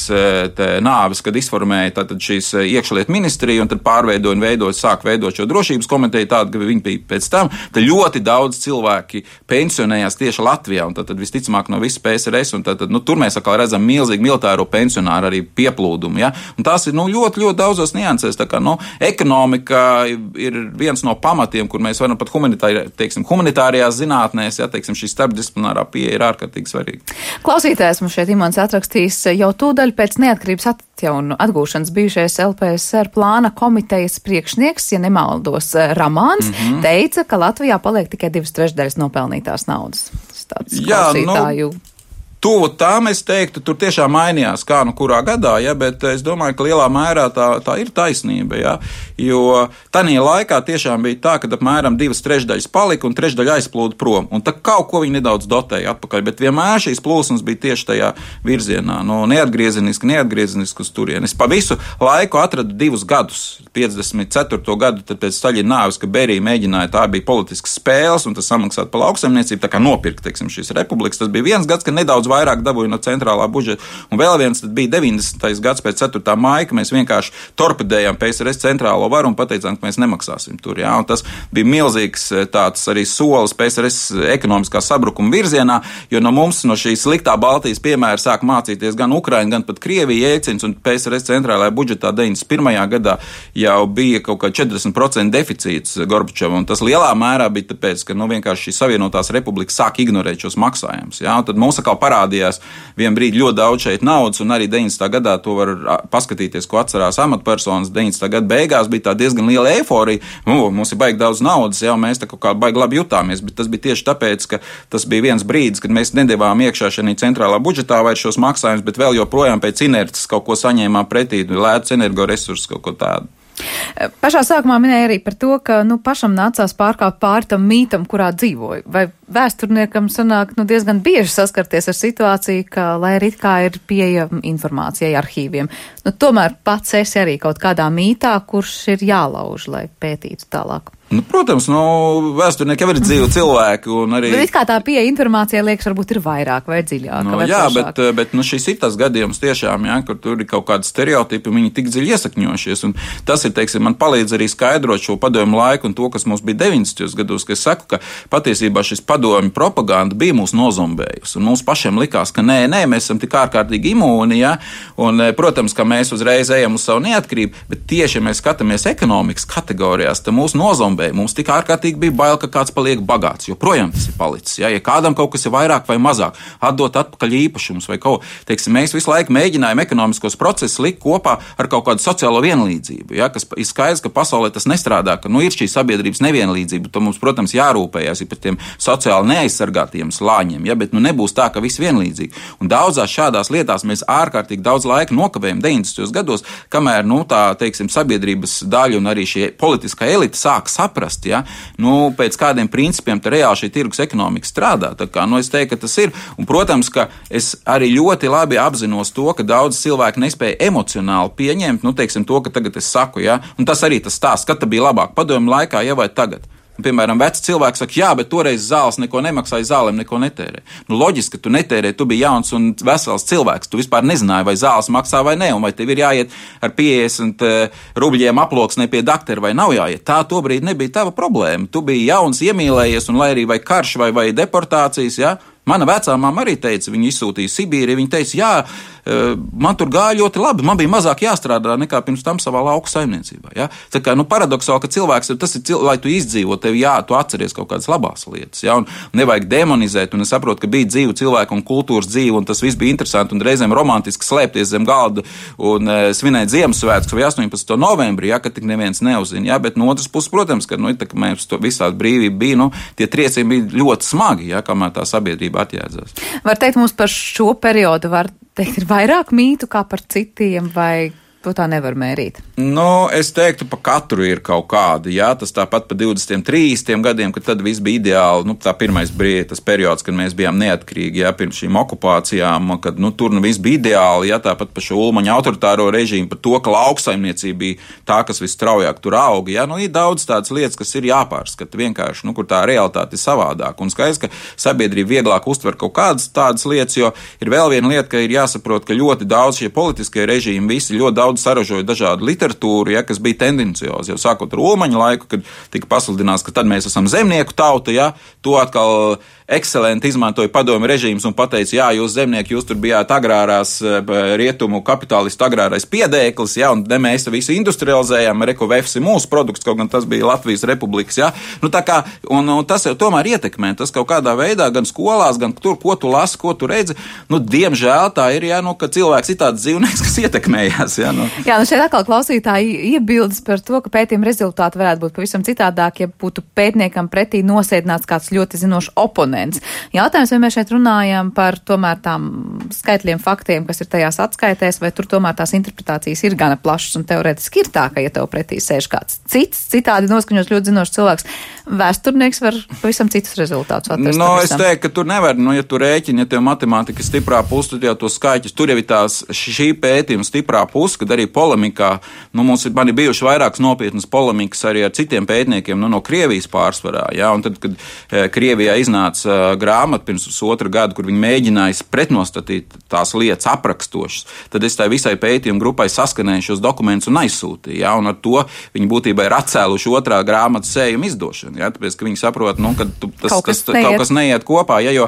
nāves, kad izformēja tātad šīs iekšlietu ministriju un tad pārveidoja un veidoja, sāk veidot šo drošības komiteju tādu, ka viņi bija pēc tam, tad ļoti daudz cilvēki pensionējās tieši Latvijā un tad, tad visticamāk no visas P S R S un tad, nu, tur mēs atkal redzam milzīgi militāro pensionāru arī pieplūdumu, ja? Un tās ir, nu, ļoti, ļoti daudzos niansēs, tā kā, nu, ekonomika ir viens no pamatiem, kur mēs varam pat humanitāri, teiksim, humanitārajās zinātnēs, ja, teiksim, šī starpdisciplinārā pieeja ir ārkārtīgi svarīga. Klausītājs mums šeit Imants atrakstīs jau tūdaļ pēc neatkarības atjaunu atgūšanas bijušais L P S R plāna komitejas priekšnieks, ja nemaldos, Ramāns, mm-hmm. teica, ka Latvijā paliek tikai divas trešdaļas nopelnītās naudas. Tas tāds klausītāju. Jā, nu... Tuvu tām es teiktu, tur tiešām mainījās, kā nu kurā gadā, ja, bet es domāju, ka lielā mērā tā, tā ir taisnība, ja, jo tajā laikā tiešām bija tā, ka apmēram divas trešdaļas palika un trešdaļa aizplūda prom, un tā kaut ko viņi nedaudz dotēja atpakaļ, bet vienmēr šīs plūsmas bija tieši tajā virzienā, no neatgriezeniski, neatgriezeniski uz turienes. Pa visu laiku atradu divus gadus, piecdesmit ceturto gadu, tad pēc Staļina nāves, ka Berija mēģināja, tā bija politiskas spēles, un tas samaksāt par lauksaimniecību, tā kā nopirkt, teiksim, šīs republikas, tas bija viens gads, ka nedaudz vairāk dabūja no centrālā budžeta. Un vēl viens tad bija deviņdesmitais gads pēc ceturtā māja, ka mēs vienkārši torpedējām P S R S centrālo varu un pateicām, ka mēs nemaksāsim tur. Jā. Un tas bija milzīgs tāds arī solis P S R S ekonomiskā sabrukuma virzienā, jo no mums, no šīs sliktā Baltijas piemēra sāk mācīties gan Ukraina, gan pat Krievija Jēcins, un P S R S centrālajā budžetā deviņdesmit pirmajā gadā jau bija kaut kā četrdesmit procenti deficīts Gorbačovam, un tas lielā mērā bija tāpēc, ka nu, vienkārši šīs Savienotās republikas sāk ignorēt šos maksājumus. Jā. Tad mums atkal parādījās vien brīdi ļoti daudz šeit naudas, un arī deviņdesmitā gadā to var paskatīties, ko atcerās amatpersonas. deviņdesmitā gada beigās bija tā diezgan liela eiforija, nu, mums ir baigi daudz naudas, jau mēs tā kaut kā baigi labi jutāmies, bet tas bija tieši tāpēc, ka tas bija viens brīdis, kad mēs nedevām iekšā šajā centrālā budžetā vairs šos maksājumus, bet vēl joprojām pēc inerces kaut ko saņēmām pretī, lētus energoresursus, kaut ko tādu. Pašā sākumā minēja arī par to, ka nu, pašam nācās pārkāpt pāri tam mītam, kurā dzīvoja. Vai vēsturniekam sanāk nu, diezgan bieži saskarties ar situāciju, ka, lai arī kā ir pieejama informācijai arhīviem, nu, tomēr pats esi arī kaut kādā mītā, kurš ir jālauž, lai pētītu tālāk? Nu, protams, nu, vēsturnieki jau ir dzīvi cilvēki. Arī... Bet it kā tā pieeja informācijai liekas, varbūt ir vairāk vai dziļāk. Nu, vai jā, plašāk. bet, bet nu, šis ir tas gadījums tiešām, jā, kur tur ir kaut kādi stereotipi, viņi tik dziļi iesakņojušies. Un tas ir, teiksim, man palīdz arī skaidrot šo padomju laiku un to, kas mums bija deviņdesmitajos gados, ka es saku, ka patiesībā šis padomju propaganda bija mūs nozombējusi. Un mums pašiem likās, ka nē, nē, mēs esam tik ārkārtīgi imūni, jā, un, protams, ka mēs uzreiz ejam uz savu neatkarību, bet tieši, ja mēs skatāmies ekonomikas kategorijās, tad mūs nozombēja. Mums tik ārkārtīgi bija bail, ka kāds paliek bagāts, jo projām tas ir palicis. Ja, ja kādam kaut kas ir vairāk vai mazāk, atdot atpakaļ īpašumus vai kaut ko, teiksim, mēs visu laiku mēģinājām ekonomiskos procesus likt kopā ar kaut kādu sociālo vienlīdzību, ja, kas ir skaidrs, ka pasaulē tas nestrādā, ka nu, ir šī sabiedrības nevienlīdzība, tad mums, protams, jārūpējās par tiem sociāli neaizsargātiem slāņiem, ja, bet nu nebūs tā, ka viss vienlīdzīgi. Un daudzās šādās lietās mēs ārkārtīgi daudz laika nokavējam deviņdesmitajos gados, kamēr, nu, tā, teiksim, sabiedrības daļa un arī šie politiskā elita sāk saprast, ja, nu, pēc kādiem principiem te reāli šī tirgus ekonomika strādā. Tā kā, nu, es teiktu, ka tas ir. Un, protams, ka es arī ļoti labi apzinos to, ka daudz cilvēku nespēja emocionāli pieņemt, nu, teiksim, to, ka tagad es saku, ja, un tas arī tas stāsts, kad tā bija labāk padomju laikā, ja vai tagad. Un, piemēram, veci cilvēki saka, jā, bet toreiz zāles neko nemaksāja, zālēm neko netērē. Nu, loģiski, ka tu netērē, tu biji jauns un vesels cilvēks, tu vispār nezināji, vai zāles maksā vai ne, un vai tev ir jāiet ar piecdesmit rubļiem aploksnē pie daktera vai nav jāiet. Tā tobrīd nebija tava problēma. Tu biji jauns, iemīlējies, un lai arī vai karš vai, vai deportācijas, jā. Mana vecā māma arī teica, viņa izsūtīja Sibīri, viņa teica, jā, man tur gāja ļoti labi, man bija mazāk jāstrādā nekā pirms tam savā lauku saimniecībā. Ja? Tā kā, nu, paradoksāli, ka cilvēks, tas ir, cil... lai tu izdzīvo, tev jā, tu atceries kaut kādas labās lietas, ja? Un nevajag demonizēt, un es saprotu, ka bija dzīve cilvēku un kultūras dzīve, un tas viss bija interesanti, un reizēm romantiski slēpties zem galda un e, svinēt Ziemassvētkus vai astoņpadsmitā novembrī, ja, kad tik neviens neuzina, ja? Bet no otras puses, protams, ka, nu, tā, ka mēs to visādi brīvība bija, nu, tie triecieni bija ļoti smagi, ja, kamēr tā sabiedrība atjēdzās. Var teikt, mums par šo periodu var teikt, ir vairāk mītu kā par citiem, vai to tā nevar mērīt? Nu, es teiktu, pa katru ir kaut kāda, jā, tas tāpat pa divdesmit, trīsdesmit gadiem, kad tad viss bija ideāli, nu, tā pirmais brīdis, tas periods, kad mēs bijām neatkarīgi, jā, pirms šīm okupācijām, kad, nu, tur nu viss bija ideāli, jā, tāpat pa šo Ulmaņa autoritāro režīmu, par to, ka lauksaimniecība bija tā, kas visstraujāk tur auga, jā, nu, ir daudz tādas lietas, kas ir jāpārskata vienkārši, nu, kur tā realitāte ir savādāk, un skaidrs, ka sabiedrība vieglāk uztver kaut kādas tādas lietas, jo ir vēl viena lieta, ka ir jāsaprot, ka ļoti daudz šie politiskie režīmi visi ļoti daudz saražoja dažādu literatūru, ja, kas bija tendenciozi. Jau sākot ar Ulmaņa laiku, kad tika pasludināts, ka tad mēs esam zemnieku tauta, ja, to atkal ekscelenti izmantoja padomju režīms un pateica, jā, jūs zemnieki, jūs tur bijāt agrārās rietumu kapitālistu agrārais piedēklis, ja, un ne mēs te visu industrializējām, Reko Vefs ir mūsu produkts, kaut gan tas bija Latvijas republikas, ja. Nu, tā kā, un, un tas jau tomēr ietekmē, tas kaut kādā veidā, gan skolās, gan tur, ko tu lasi, ko tu redzi, nu, diemžēl tā ir, ja, nu, ka cilvēks ir tāds dzīvnieks, kas ietekmējās, ja, nu. Jā, nu šeit atkal klausītāji iebildes par to, ka pētījuma rezultāti varētu būt pavisam citādāk, ja būtu pētniekam pretī nosēdināts kāds ļoti zinošs oponents. Jautājums, vai mēs šeit runājam par tomēr tām skaitļiem, faktiem, kas ir tajās atskaitēs, vai tur tomēr tās interpretācijas ir gana plašas un teorētiski ir tā, ka, ja tev pretī sēž kāds cits, citādi noskaņos ļoti zinošs cilvēks, Vēsturnieks var pavisam citus rezultātus atrast. No, es teiktu, ka tur nevar, nu, ja tu rēķini, ja tev matemātika stiprā puse, tad jau to skaitļus, tur jau ir tās šī pētījuma stiprā puse, kad arī polemikā, nu, mums ir, man ir bijuši vairākas nopietnas polemikas arī ar citiem pētniekiem, nu, no Krievijas pārsvarā, jā, un tad, kad e, Krievijā iznāca uh, grāmata pirms otra gada, kur viņi mēģināja pretnostatīt tās lietas aprakstošas, tad es tai visai pētījuma grupai saskanēju šos dokumentus un aizsūtīju, jā, un ar to viņi būtībā ir atcēluši otrā grāmatas sējuma izdošanu. Jā, tāpēc, ka viņi saprot, nu, ka tu, tas, kaut, kas tas, kaut kas neiet kopā, ja, jo,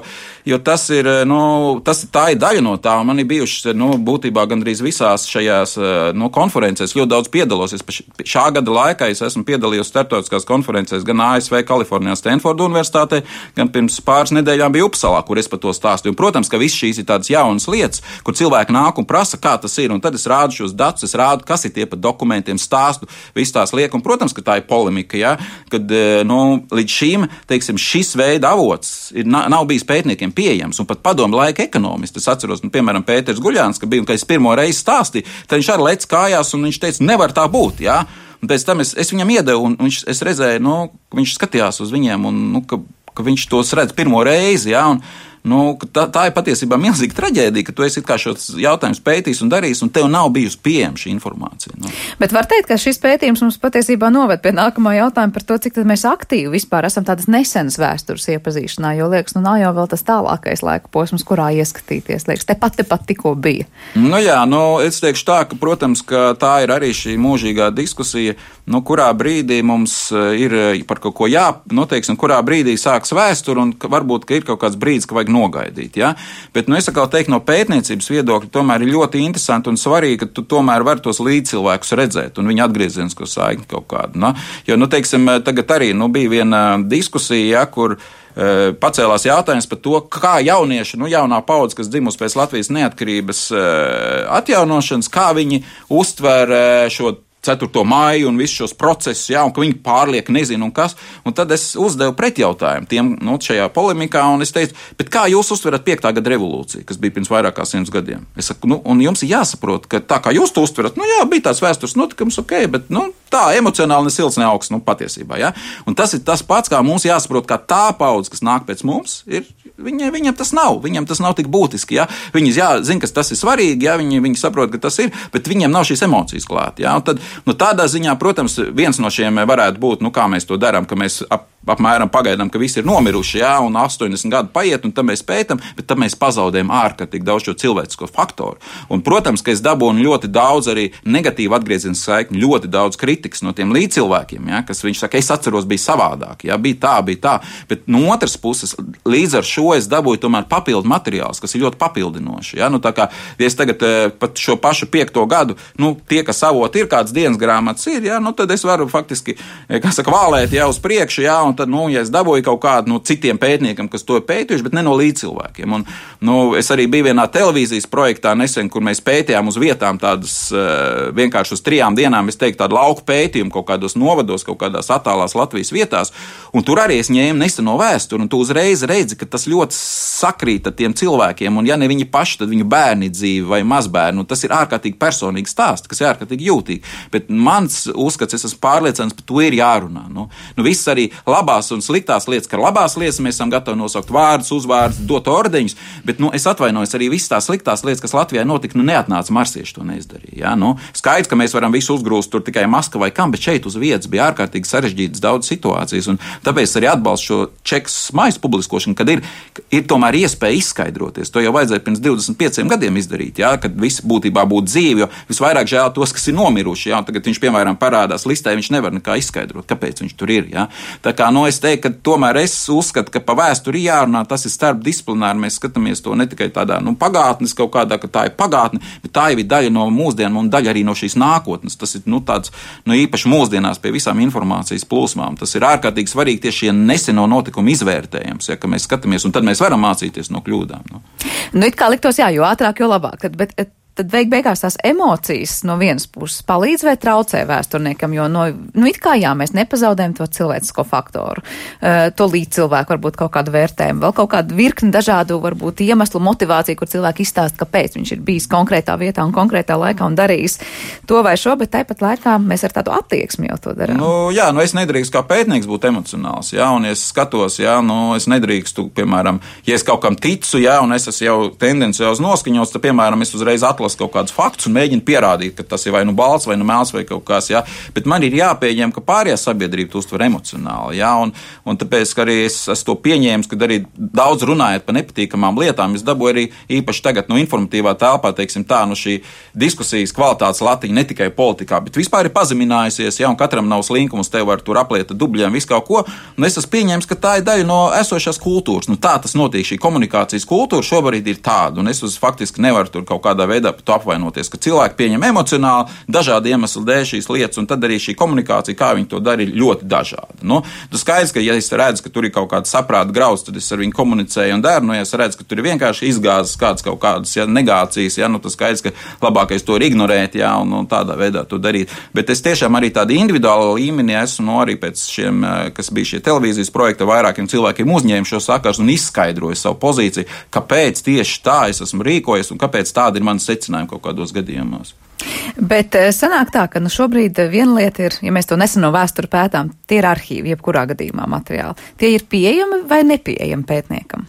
jo tas ir, nu, tas, tā ir daļa no tā, un man ir bijušas, nu, būtībā gandrīz visās šajās, nu, konferencēs, ļoti daudz piedalos. Es šā gada laikā es esmu piedalījies starptautiskās konferencēs gan A S V, Kalifornijā, Stanforda universitātē, gan pirms pāris nedēļām bija Upsalā, kur es par to stāstīju. Un, protams, ka viss šīs ir tādas jaunas lietas, kur cilvēki nāk un prasa, kā tas ir, un tad es rādu šos datus, es rādu, kas ir tie par dokumentiem, stāstu, viss tās liek, un, protams, ka tā ir polemika, ja, kad, nu, līdz šīm, teiksim, šis veida avots ir, nav bijis pētniekiem pieejams, un pat padomu laika ekonomisti. Es atceros, nu, piemēram, Pēters Guļāns, ka bija, un kad es pirmo reizi stāstīju, tad viņš arī lec kājās, un viņš teica, nevar tā būt, jā. Un pēc tam es, es viņam iedevu, un viņš, es redzēju, nu, viņš skatījās uz viņiem, un, nu, ka, ka viņš tos redz pirmo reizi, jā, un, nu, tā, tā ir patiesībā milzīga traģēdija, ka tu esi kā šos jautājumus pētījis un darījis, un tev nav bijusi pieejama šī informācija. Nu. Bet var teikt, ka šis pētījums mums patiesībā noved pie nākamā jautājuma par to, cik tad mēs aktīvi vispār esam tādas nesenas vēstures iepazīšanā, jo liekas, nu nav jau vēl tas tālākais laika posms, kurā ieskatīties, liekas, tepat, tepat tikko bija. Nu jā, nu es teikšu tā, ka, protams, ka tā ir arī šī mūžīgā diskusija, nu kurā brīdī mums ir par kaut ko jā, nu teiksim, kurā brīdī sāks vēsture, un varbūt, ka ir kaut kāds brīdis, ka vajag nogaidīt, ja? Bet, nu, es atkal teiktu, no pētniecības viedokļa tomēr ir ļoti interesanti un svarīgi, ka tu tomēr vari tos līdzcilvēkus redzēt un viņa atgriezienisko saikni kaut kādu, no? Jo, nu, teiksim, tagad arī, nu, bija viena diskusija, ja, kur e, pacēlās jautājums par to, kā jaunieši, nu, jaunā paudze, kas dzimusi pēc Latvijas neatkarības e, atjaunošanas, kā viņi uztver e, šo ceturto māju un visus šos procesus, jā, un ka viņi pārliek nezinu un kas, un tad es uzdevu pretjautājumu tiem, nu, šajā polemikā, un es teicu, bet kā jūs uztverat piektā gada revolūciju, kas bija pirms vairāk kā simts gadiem? Es saku, nu, un jums ir jāsaprot, ka tā kā jūs to uztverat, nu, jā, bija tāds vēstures notikums, ok, bet, nu, tā emocionāli ne silts, ne augsts, nu, patiesībā, jā. Un tas ir tas pats, kā mums jāsaprot, kā tā paudze, kas nāk pēc mums, ir, viņa, viņam tas nav, viņam tas nav tik būtiski, jā. Viņi, jā, zina, ka tas ir svarīgi, jā, viņi, viņi saprot, ka tas ir, bet viņiem nav šīs emocijas klāt, jā. Un tad, nu, tādā ziņā, protams, viens no šiem varētu būt, nu, kā mēs to darām, ka mēs ap, apmēram pagaidām, ka visi ir nomiruši, jā, un astoņdesmit gadu paiet, un tad mēs pētam, bet tad mēs pazaudējam ārkārtīgi daudz šo cilvēcisko faktoru. Un, protams, ka es dabūnu ļoti daudz arī negatīvu atgriezienu saikni, ļoti daudz kritikas no tiem līdzcilvēkiem, jā, kas viņš saka, es atceros, bija savādāk, jā, bija tā, bija tā, bet no otras puses, līdz ar šo es dabūju tomēr papildu materiālus, kas ir ļoti papildinoši, jā, nu, tā kā, ja es tagad pat šo pašu piekto gadu, nu, tie, kas avot ir kāds dienas grāmatas ir, jā, nu, tad es varu faktiski, kā saka, vālēt jau uz priekšu, jā, un tad, nu, ja es dabūju kaut kādu no citiem pētniekiem, kas to ir pētījuši, bet ne no līdzcilvēkiem. Un, nu, es arī biju vienā televīzijas projektā nesen, kur mēs pētījām uz vietām tādas uh, vienkārši uz trijām dienām, es teiktu, tādu lauku pētījumu kaut kādos novados, kaut kādās attālās Latvijas vietās, un tur arī es ņēmu neseno vēsturi, un tu uzreiz redzi, ka tas ļoti sakrīt ar tiem cilvēkiem, un ja ne viņi paši, tad viņu bērni dzīvi vai mazbērni, un tas ir ārkārtīgi personīgi stāsts, kas ir ārkārtīgi jūtīgi. Bet mans uzskats, es esmu pārliecināts, par to ir jārunā. Nu, nu viss arī labās un sliktās lietas, ka labās lietas mēs esam gatavi nosaukt vārdus, uzvārdus, dot ordeņus, bet, nu, es atvainojos arī visas tās sliktās lietas, kas Latvijā notika, nu, neatnāca marsieši to neizdarīja. Ja? Nu, skaidrs, ka mēs varam visu uzgrūst tur tikai Maskavai, kam, bet šeit uz vietas bija ārkārtīgi sarežģītas daudz situācijas, un tāpēc arī atbalstu šo čekas mājas publiskošanu, kad ir, ir tomēr iespēja izskaidroties. To jau vajadzēja pirms divdesmit pieciem gadiem izdarīt, ja? Kad visi būtībā būtu dzīvi, jo visvairāk žēl tos, kas ir nomiruši, ja? Tagad viņš, piemēram, parādās listē, viņš nevar nekā izskaidrot, kāpēc viņš tur ir. Ja? Tā kā, nu, es teiktu, ka tomēr es uzskatu, ka pa vēsturi jārunā, tas ir starpdisciplināri, mēs skatāmies to ne tikai tādā, nu, pagātnes kaut kādā, ka tā ir pagātne, bet tā jau ir daļa no mūsdienām un daļa arī no šīs nākotnes. Tas ir, nu, tāds, nu, īpaši mūsdienās pie visām informācijas plūsmām. Tas ir ārkārtīgi svarīgi tieši šie neseno notikumu izvērtējums, ja, ka mēs skatāmies, un tad mēs varam mācīties no kļūdām. Nu, nu it kā liktos, jā, jo ātrāk, jo labāk, bet tad beig beigās tās emocijas no vienas puses palīdz vai traucē vēsturniekam, jo no, nu it kā jā, mēs nepazaudējam to cilvēcisko faktoru, uh, to līdzcilvēku, varbūt kaut kādu vērtējumu, vēl kaut kādu virkni dažādu, varbūt iemeslu, motivāciju, kur cilvēki izstāst, kāpēc viņš ir bijis konkrētā vietā un konkrētā laikā un darījis to vai šo, bet tāpat laikā mēs ar tādu attieksmi jau to darām. Nu, jā, nu es nedrīkstu kā pētnieks būt emocionāls, jā, un ja es skatos, jā, nu es nedrīkstu, piemēram, ja es kaut kam ticu, jā, un es esmu jau tendenciāls noskaņots, tad, piemēram, es uzreiz atlasu kaut kādus faktus un mēģinu pierādīt, ka tas ir vai nu balts, vai nu mēls, vai kaut kas, jā. Bet man ir jāpieņem, ka pārējā sabiedrība to uztver emocionāli, jā, un, un tāpēc, ka arī es esmu to pieņēmis, kad arī daudz runājot par nepatīkamām lietām, es dabūju arī īpaši tagad no informatīvā telpā, teiksim tā, no šī diskusijas kvalitātes latiņa ne tikai politikā, bet vispār ir pazeminājusies, jā, un katram nav slinkums, tev var tur apliet dubļiem, visu kaut ko, un es esmu pieņēmis, ka tā ir daļa no esošās kultūras. Nu, tā tas notiek, šī komunikācijas kultūra šobrīd ir tāda, un es uz faktiski nevaru tur kaut kādā veidā par to apvainoties, ka cilvēki pieņem emocionāli dažādu iemeslu dēļ šīs lietas, un tad arī šī komunikācija, kā viņi to dara, ir ļoti dažāda. Nu, tas skaidrs, ka ja es redzu, ka tur ir kaut kāda saprāta grauds, tad es ar viņu komunicēju un daru, nu, ja es redzu, ka tur ir vienkārši izgāzes kādas kaut kādas, ja, negācijas, ja, nu, tas skaidrs, ka labākais to ir ignorēt, ja, un, un tādā veidā to darīt. Bet es tiešām arī tādi individuāli līmenī esmu, nu, arī pēc šiem, kas bija šie televīzijas projekta, vairākiem cilvēkiem uzņēmu šo sakars un izskaidroju savu pozīciju, kāpēc tieši tā es esmu rīkojies un kāpēc tāda ir manas secinājumi kaut kādos gadījumos. Bet sanāk tā, ka nu šobrīd viena lieta ir, ja mēs to neseno vēsturi pētām, tie ir arhīvi, jebkurā gadījumā materiāli. Tie ir pieejami vai nepieejami pētniekam?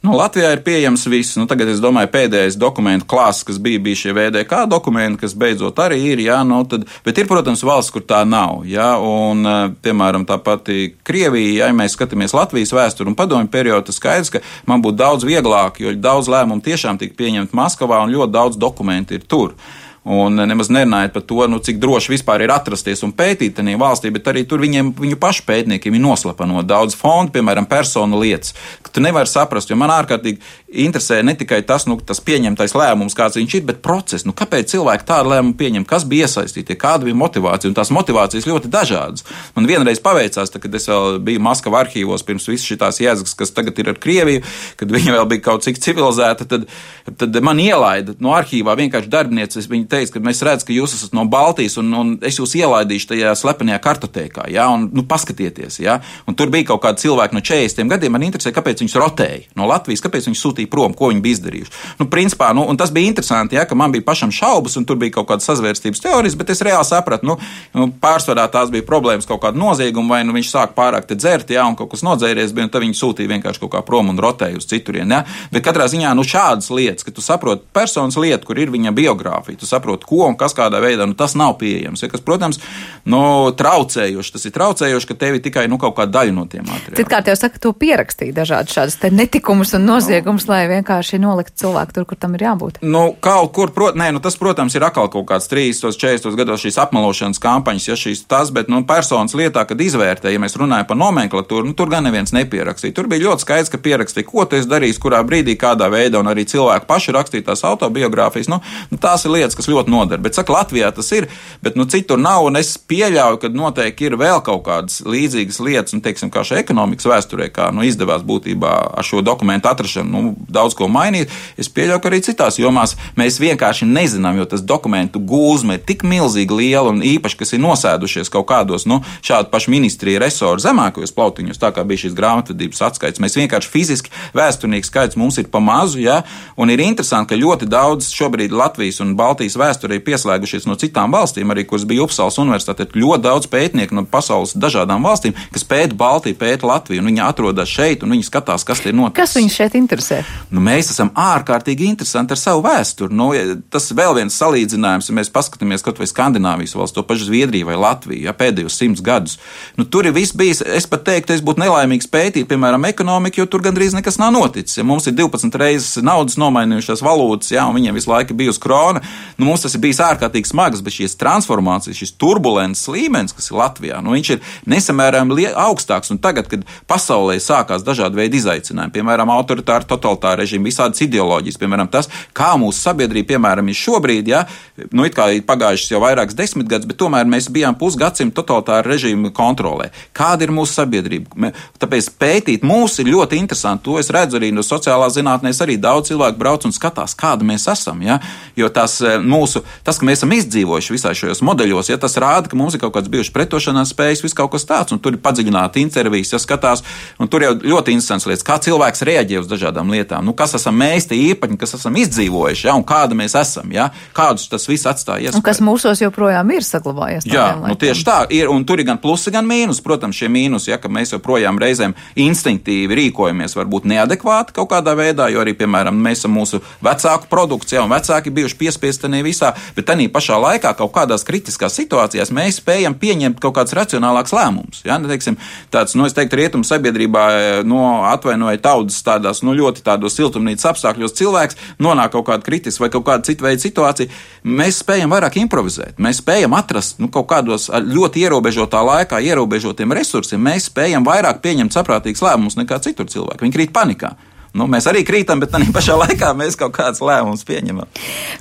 Nu, Latvijā ir pieejams viss. Nu, tagad es domāju, pēdējais dokumentu klāsts, kas bija, bija šie V D K dokumenti, kas beidzot arī ir, jā, nu, tad, bet ir, protams, valsts, kur tā nav, jā, un, piemēram, tā pati Krievija, ja mēs skatāmies Latvijas vēsturi un padomju periodu, tas skaidrs, ka man būtu daudz vieglāk, jo daudz lēmumu tiešām tika pieņemt Maskavā un ļoti daudz dokumentu ir tur. Un nemaz nerunājot par to, nu, cik droši vispār ir atrasties un pētīt tajā valstī, bet arī tur viņiem, viņu pašu pētniekiem ir noslapanot daudz fondu, piemēram, personu lietas, ka tu nevari saprast, jo man ārkārtīgi interesē ne tikai tas, nu, tas pieņemtais lēmums, kāds viņš ir, bet process, nu, kāpēc cilvēki tādu lēmumu pieņem, kas bija iesaistīti, kāda bija motivācija, un tās motivācijas ļoti dažādas. Man vienreiz paveicās, tā, kad es vēl biju Maskava arhīvos pirms visas šitās jēdzas, kas tagad ir ar Krieviju, kad viņa vēl bija kaut cik civilizēta, tad, tad man ielaida no arhīvā vienkārši darbinieces, viņa teica, ka mēs redzam, ka jūs esat no Baltijas, un, un es jūs ielaidīšu tajā slepenajā kartotēkā, ja, un nu, paskatieties. Ja. Un tur bija kaut kādi cilvēki no četrdesmitiem gadiem, man interesē, kāpēc viņus rotēja no Latvijas, kāpēc viņus sūtīja prom, ko viņi bija izdarījuši. Nu, principā, nu, un tas bija interesanti, ja, ka man bija pašam šaubas, un tur bija kaut kādas sazvērstības teorijas, bet es reāli sapratu, nu, nu pārsvarā tās bija problēmas kaut kāda nozieguma, vai nu viņš sāk pārāk te dzert, ja, un kaut kas nodzēries bija, un tad viņi sūtīja vienkārši kaut kā prom un rotēja uz citurien. Ja. Bet katrā ziņā, nu, šādas lietas, ka tu saproti personas lietu, kur ir viņa biogrāfija, tu saproti, ko un kas kādā veidā, nu, tas nav pieejams. Ja, kas, protams, nu, traucējoši. Tas ir traucējoši, ka tev ir tikai nu, kaut kāda daļa no tiem materiāliem. Citkārt jau saka, to pierakstīja dažādi šādas te netikumus un noziegumus, no. lai vienkārši nolikt cilvēku tur, kur tam ir jābūt. Nu, kaut kur, prot, nē, nu, tas, protams, ir atkal kaut kāds trīsdesmitos, četrdesmitos gados šīs apmelošanas kampaņas, ja šīs tas, bet, nu, personas lietā, kad izvērtē, ja mēs runājam par nomenklatūru, nu, tur gan neviens nepierakstīja. Tur bija ļoti skaidrs, ka pierakstīja, ko tu esi darījis, kurā brīdī, kādā veidā, un arī cilvēki paši rakstīja tās autobiogrāfijas. Nu, nu, tās ir lietas, kas ļoti nodara. Bet, saka, Latvijā tas ir, bet, nu, citur nav, un es pieļauju, ka noteikti ir vēl kaut kādas līdzīgas lietas, un, teiksim, kā šajā ekonomikas vēsturē, kā, nu, izdevās būtībā ar šo dokumentu atrašanu, nu, daudz ko mainīt. Es pieļauju, ka arī citās jomās mēs vienkārši nezinām, jo tas dokumentu gūzme ir tik milzīgi liela, un īpaši, kas ir nosēdušies kaut kādos, nu, šādu pašu ministriju resoru zemākajos plautiņos, tā kā bija šīs grāmatvedības atskaits. Mēs vienkārši fiziski vēsturnieku skaits mums ir pa mazu, ja, un ir interesanti, ka ļoti daudz šobrīd Latvijas un Baltijas vēsturē pieslēgušies no citām valstīm, arī kuras bija Upsalas universitāte, ļoti daudz pētnieku no pasaules dažādām valstīm, kas pēta Baltiju, pēta Latviju, un viņi atrodas šeit, un viņi skatās, kas te ir noticis. Kas viņus šeit interesē? Nu, mēs esam ārkārtīgi interesanti ar savu vēsturi. Nu, tas vēl viens salīdzinājums, ja mēs paskatāmies kaut vai Skandināvijas valsts, to pašu Zviedriju vai Latviju, ja, pēdējos simts gadus. Nu, tur ir viss bijis, es pat teiktu, es būtu nelaimīgs pētīt, piemēram, ekonomiku, jo tur gandrīz nekas nav noticis. Ja mums ir divpadsmit reizes naudas nomainījušās valūtas, ja, un viņiem visu laiku bijusi krona, nu, Nu, mums tas ir bijis ārkārtīgi smags, bet šīs transformācijas, šis turbulences līmenis, kas ir Latvijā, nu, viņš ir nesamērām augstāks. Un tagad, kad pasaulē sākās dažādi veidi izaicinājumi, piemēram, autoritāri, totalitāri režīmi, visādas ideoloģijas, piemēram, tas, kā mūsu sabiedrība, piemēram, ir šobrīd, ja, nu, it kā ir pagājušas jau vairākas desmitgadus, bet tomēr mēs bijām pusgadsimtu totalitāri režīmu kontrolē. Kāda ir mūsu sabiedrība? Tāpēc pētīt mūs ir ļoti interesanti. To es redzu arī no sociālās zinātnēs, arī daudz cilvēku brauc un skatās, kāda mēs esam, ja, jo tas mūsu, tas, ka mēs esam izdzīvojuši visā šajos modeļos, ja, tas rāda, ka mums ir kaut kāds bijuši pretošanās spējas, viss kaut kas tāds, un tur ir padziļināti intervijas, ja skatās, un tur jau ļoti interesants lietas, kā cilvēks reaģē uz dažādām lietām, nu, kas esam mēs, tie īpaņi, kas esam izdzīvojuši, ja, un kāda mēs esam, ja, kādus tas viss atstāja iespēju. Un kas mūsos joprojām ir saglabājies. Jā, nu tieši tā ir, un tur ir gan plusi, gan mīnus. Protams, šie mīnusi, ja, ka mēs joprojām reizēm instinktīvi rīkojamies, varbūt neadekvāti kaut kādā veidā, jo arī, piemēram, mēs esam mūsu vecāku produkts, ja, un vecāki bijuši piespiesti tenī visā, bet tenī pašā laikā kaut kādās kritiskās situācijās mēs spējam pieņemt kaut kāds racionālāks lēmums. Ja, nu, teiksim, tāds, nu, es teiktu, rietumu sabiedrībā, no atvainoja taudas tādās, nu, ļoti tādos siltumnīcas apstākļos cilvēks nonāk kaut kāda kritiska vai kaut kāda cita veida situācija. Mēs spējam vairāk improvizēt, mēs spējam atrast, nu, kaut kādos ļoti ierobežotā laikā, ierobežotiem resursiem, mēs spējam vairāk pieņemt saprātīgus lēmumus nekā citur cilvēki. Viņi krīt panikā. Nu, mēs arī krītam, bet tādā pašā laikā mēs kaut kādas lēmumus pieņemam.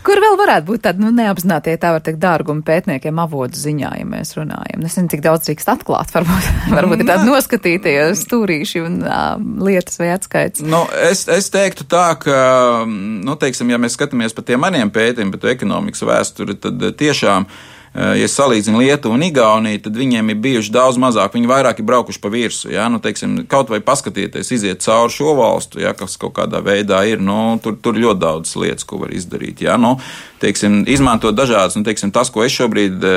Kur vēl varētu būt tādi, nu, neapzinātie, tā var teikt, dārgumi pētniekiem avotu ziņā, ja mēs runājam? Es nezinu, cik daudz drīkst atklāt, varbūt, varbūt ir tādi noskatītie stūrīši un uh, lietas vai atskaits. Nu, es, es teiktu tā, ka, nu, teiksim, ja mēs skatāmies par tiem maniem pētījumiem, par ekonomikas vēsturi, tad tiešām, ja salīdzinu Lietuvu un Igauniju, tad viņiem ir bijuši daudz mazāk, viņi vairāk ir braukuši pa virsu, ja, nu, teiksim, kaut vai paskatieties, iziet cauri šo valstu, ja, kas kaut kādā veidā ir, nu, tur, tur ļoti daudz lietas, ko var izdarīt, ja, nu, teiksim, izmantot dažādas, nu, teiksim, tas, ko es šobrīd e,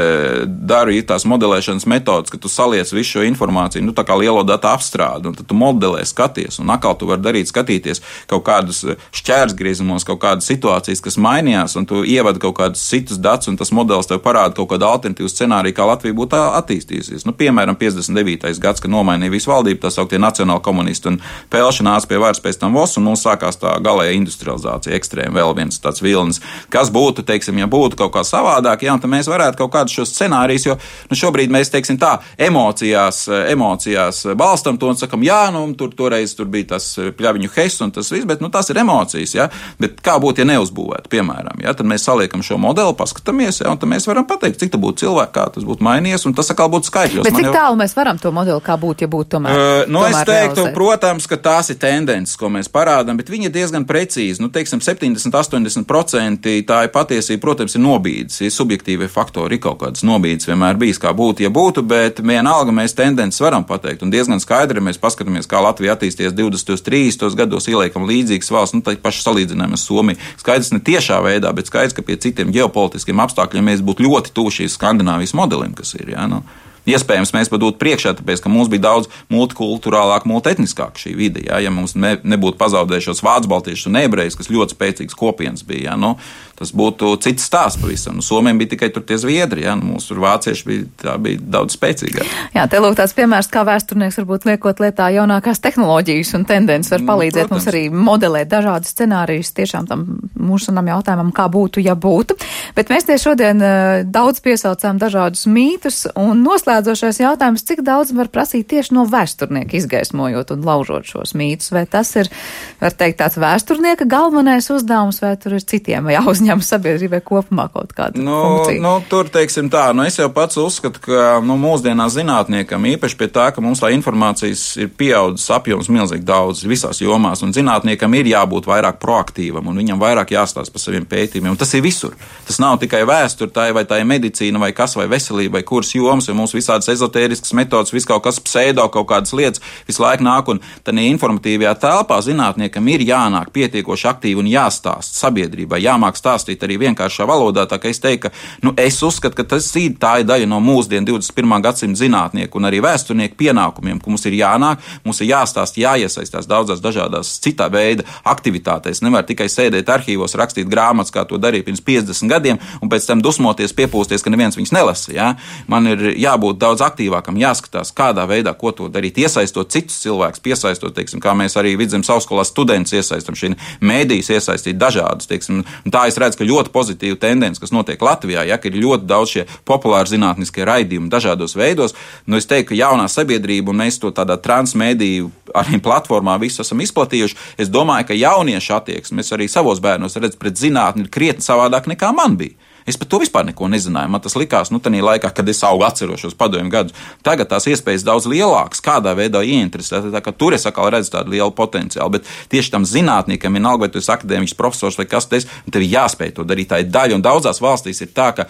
daru, ir tās modelēšanas metodas, ka tu saliec visu šo informāciju, nu, tā kā lielo datu apstrādi, un tad tu modelē, skaties, un atkal tu vari darīt, skatīties kaut kādus šķērsgriezumos, kaut kādas situācijas, kas mainījās, un tu ievadi kaut kādus citus datus, un tas modelis tev parāda kaut kādu alternatīvu scenāriju, kā Latvija būtu attīstījusies. Nu, piemēram, piecdesmit devītais gads, kad nomainīja visu valdību, tā sauktie nacionāli komunisti un Pelši nāca pie varas pēc tam Vos, un mums sākās tā galēja industrializācija, ekstrēma vēl viens tāds vilnis. Kas būtu, teiksim, ja būtu kaut kā savādāk, jā, tad mēs varētu kaut kādus šos scenārijus, jo nu, šobrīd mēs, teiksim, tā emocijās, emocijās balstam to un sakam, jā, nu, tur toreiz tur bija tas pļaviņu hes un tas viss, bet, nu, tās ir emocijas, jā, bet kā būtu, ja neuzbūvētu, piemēram, jā, tad mēs saliekam šo modeli, paskatāmies, jā, un tad mēs varam pateikt, cik tā būtu cilvēki, kā tas būtu mainījies, un tas atkal būtu skaitļos. Bet cik jau... tālu mēs varam to modeli, kā būtu, ja būtu tomēr? Uh, nu, tomēr es teiktu, realizēt. Protams, ka tās ir tendences, ko mēs parādām, bet viņi ir diezgan precīzi. Nu, teiksim, septiņdesmit līdz astoņdesmit procenti tā ir patiesība, protams, ir nobīdes. Ir subjektīvie faktori, ir kaut kādas nobīdes vienmēr bijis, kā būtu, ja būtu, bet vienalga mēs tendences varam pateikt. Un diezgan skaidri mēs paskatāmies, kā Latvija attīstījies divdesmitos, trīsdesmitos gados, ieliekam līdzīgas valsts, nu, tā paši salīdzinājumi ar Somiju. Skaidrs ne tiešā veidā, bet skaidrs, ka pie citiem ģeopolitiskiem apstākļiem mēs būtu ļoti tuvu šīs Skandināvijas modelim, kas ir, jā, nu. Iespējams, mēs pat būtu priekšā, tāpēc, ka mums bija daudz multikulturālāk, multietniskāk šī vide, jā, ja mums ne, nebūtu pazaudējušos vācu baltiešus un ebrejus, kas ļoti spēcīgs kopienas bija, jā, nu, tas būtu cits stāsts pavisam. Nu, Somiem bija tikai tur tie zviedri, jā, nu, mūsu tur vācieši bija, tā bija daudz spēcīgāk. Jā, te lūk tāds piemērs, kā vēsturnieks varbūt liekot lietā jaunākās tehnoloģijas un tendences var palīdzēt nu, mums arī modelēt dažādus scenārijus tiešām tam mūsunam jautājumam, kā būtu, ja būtu. Bet mēs tie šodien uh, daudz piesaucām dažādus mītus un noslēdzošais jautājums, cik daudz var prasīt tieši no vēsturnieka izgaismojot un laužot šos mītus, vai tas ir, var teikt, tāds vēsturnieka galvenais uzdevums, vai tur ir citiem jāuzņem sabiedrībai kopumā kaut kāda nu, funkcija? Nu, tur, teiksim tā, nu es jau pats uzskatu, ka nu, mūsdienās zinātniekam, īpaši pie tā, ka mums tā informācijas ir pieaudzis apjoms milzīgi daudz visās jomās, un zinātniekam ir jābūt vairāk proaktīvam, un viņam vairāk jāstāsta par saviem pētījumiem, un tas ir visur. Tas nav tikai vēsture, tā vai tā ir medicīna, vai kas, vai veselība, vai kuras jomas, vai mums visādas ezotēriskas metodas, vis kaut kas pseido, kaut kādas lietas visu laiku nāk, un tad informatīvajā telpā zinātniekam ir jānāk pietiekoši aktīvi un jāstāst sabiedrībai, jāmāk stāstīt arī vienkāršā valodā, tā kā es teiktu, ka nu, es uzskatu, ka tas ir tā ir daļa no mūsdienu divdesmit pirmā gadsimta zinātnieku un arī vēsturnieku pienākumiem, ka mums ir jānāk, mums ir jāstāst, jāiesaistās daudzās dažādās citā veida aktivitātēs. Nevar tikai sēdēt arhīvos, rakstīt grāmatas, kā to darīja pirms piecdesmit gadiem, un pēc tam dusmoties, piepūsties, ka neviens viņus nelasa. Ja? Man ir jābūt jābūt daudz aktīvākam, jāskatās, kādā veidā, ko to darīt, iesaistot citus cilvēkus, piesaistot, teiksim, kā mēs arī Vidzemes augstskolā studentus iesaistam, šī mēdīs iesaistīt dažādus, teiksim, un tā es redzu, ka ļoti pozitīva tendence, kas notiek Latvijā, ja, ka ir ļoti daudz šie populāri zinātniskie raidījumi dažādos veidos. Nu, es teiktu, ka jaunā sabiedrība, un mēs to tādā transmediju arī platformā visu esam izplatījuši, es domāju, ka jauniešu attieksme, es arī savos bērnos redzu pret zinātni ir krietni savādāk nekā man bija. Es par to vispār neko nezināju. Man tas likās, nu, tajā laikā, kad es augu atceros šos padomju gadus. Tagad tās iespējas daudz lielākas, kādā veidā ieinteresēt. Tā kā tur es atkal redzu tādu lielu potenciālu. Bet tieši tam zinātniekam, vienalga, vai tu esi akadēmiķis profesors vai kas tas, tev ir jāspēj to darīt. Tā ir daļa. Un daudzās valstīs ir tā, ka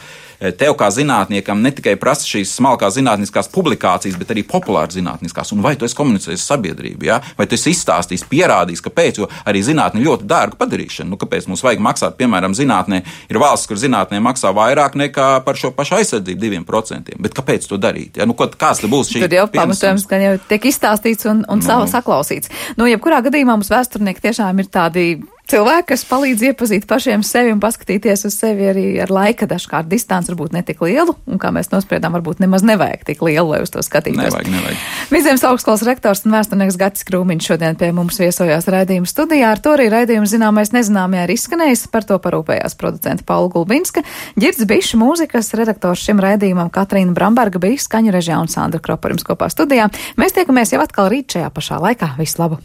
tev kā zinātniekam ne tikai prasa šīs smalkās zinātniskās publikācijas, bet arī populāri zinātniskās. Un vai tu esi komunicējis sabiedrību, ja? Vai tu esi izstāstījis, pierādījis, kāpēc, jo arī zinātne ļoti dārga padarīšana. Nu, kāpēc mums vajag maksāt, piemēram, zinātnē? Ir valsts, kur zinātnē maksā vairāk nekā par šo pašu aizsardzību diviem procentiem. Bet kāpēc to darīt? Ja? Nu, kāds te būs šī? Tur jau pamatojums, ka jau tiek izstāstīts un, un no. saklausīts. Nu, jebkurā gadījumā mums vēsturnieki tiešām ir tādi cilvēki, kas palīdz iepazīt pašiem sevi un paskatīties uz sevi arī ar laika dažkārt distanci varbūt ne tik lielu, un kā mēs nospriedām, varbūt nemaz nevajag tik lielu, lai uz to skatītos. Nevajag, nevajag. Vidzemes augstskolas rektors un vēsturnieks Gatis Krūmiņš šodien pie mums viesojās raidījuma studijā. Ar to arī raidījums zināmais nezināmajā ir izskanējis, par to parūpējās producenta Paula Gulbinska, Ģirds Bišs, mūzikas redaktors šim raidījumam Katrīna Bramberga bija skaņu režijā un Sandra Kropa jums kopā studijā. Mēs tiekamies jau atkal rīt šajā pašā laikā. Visu labu!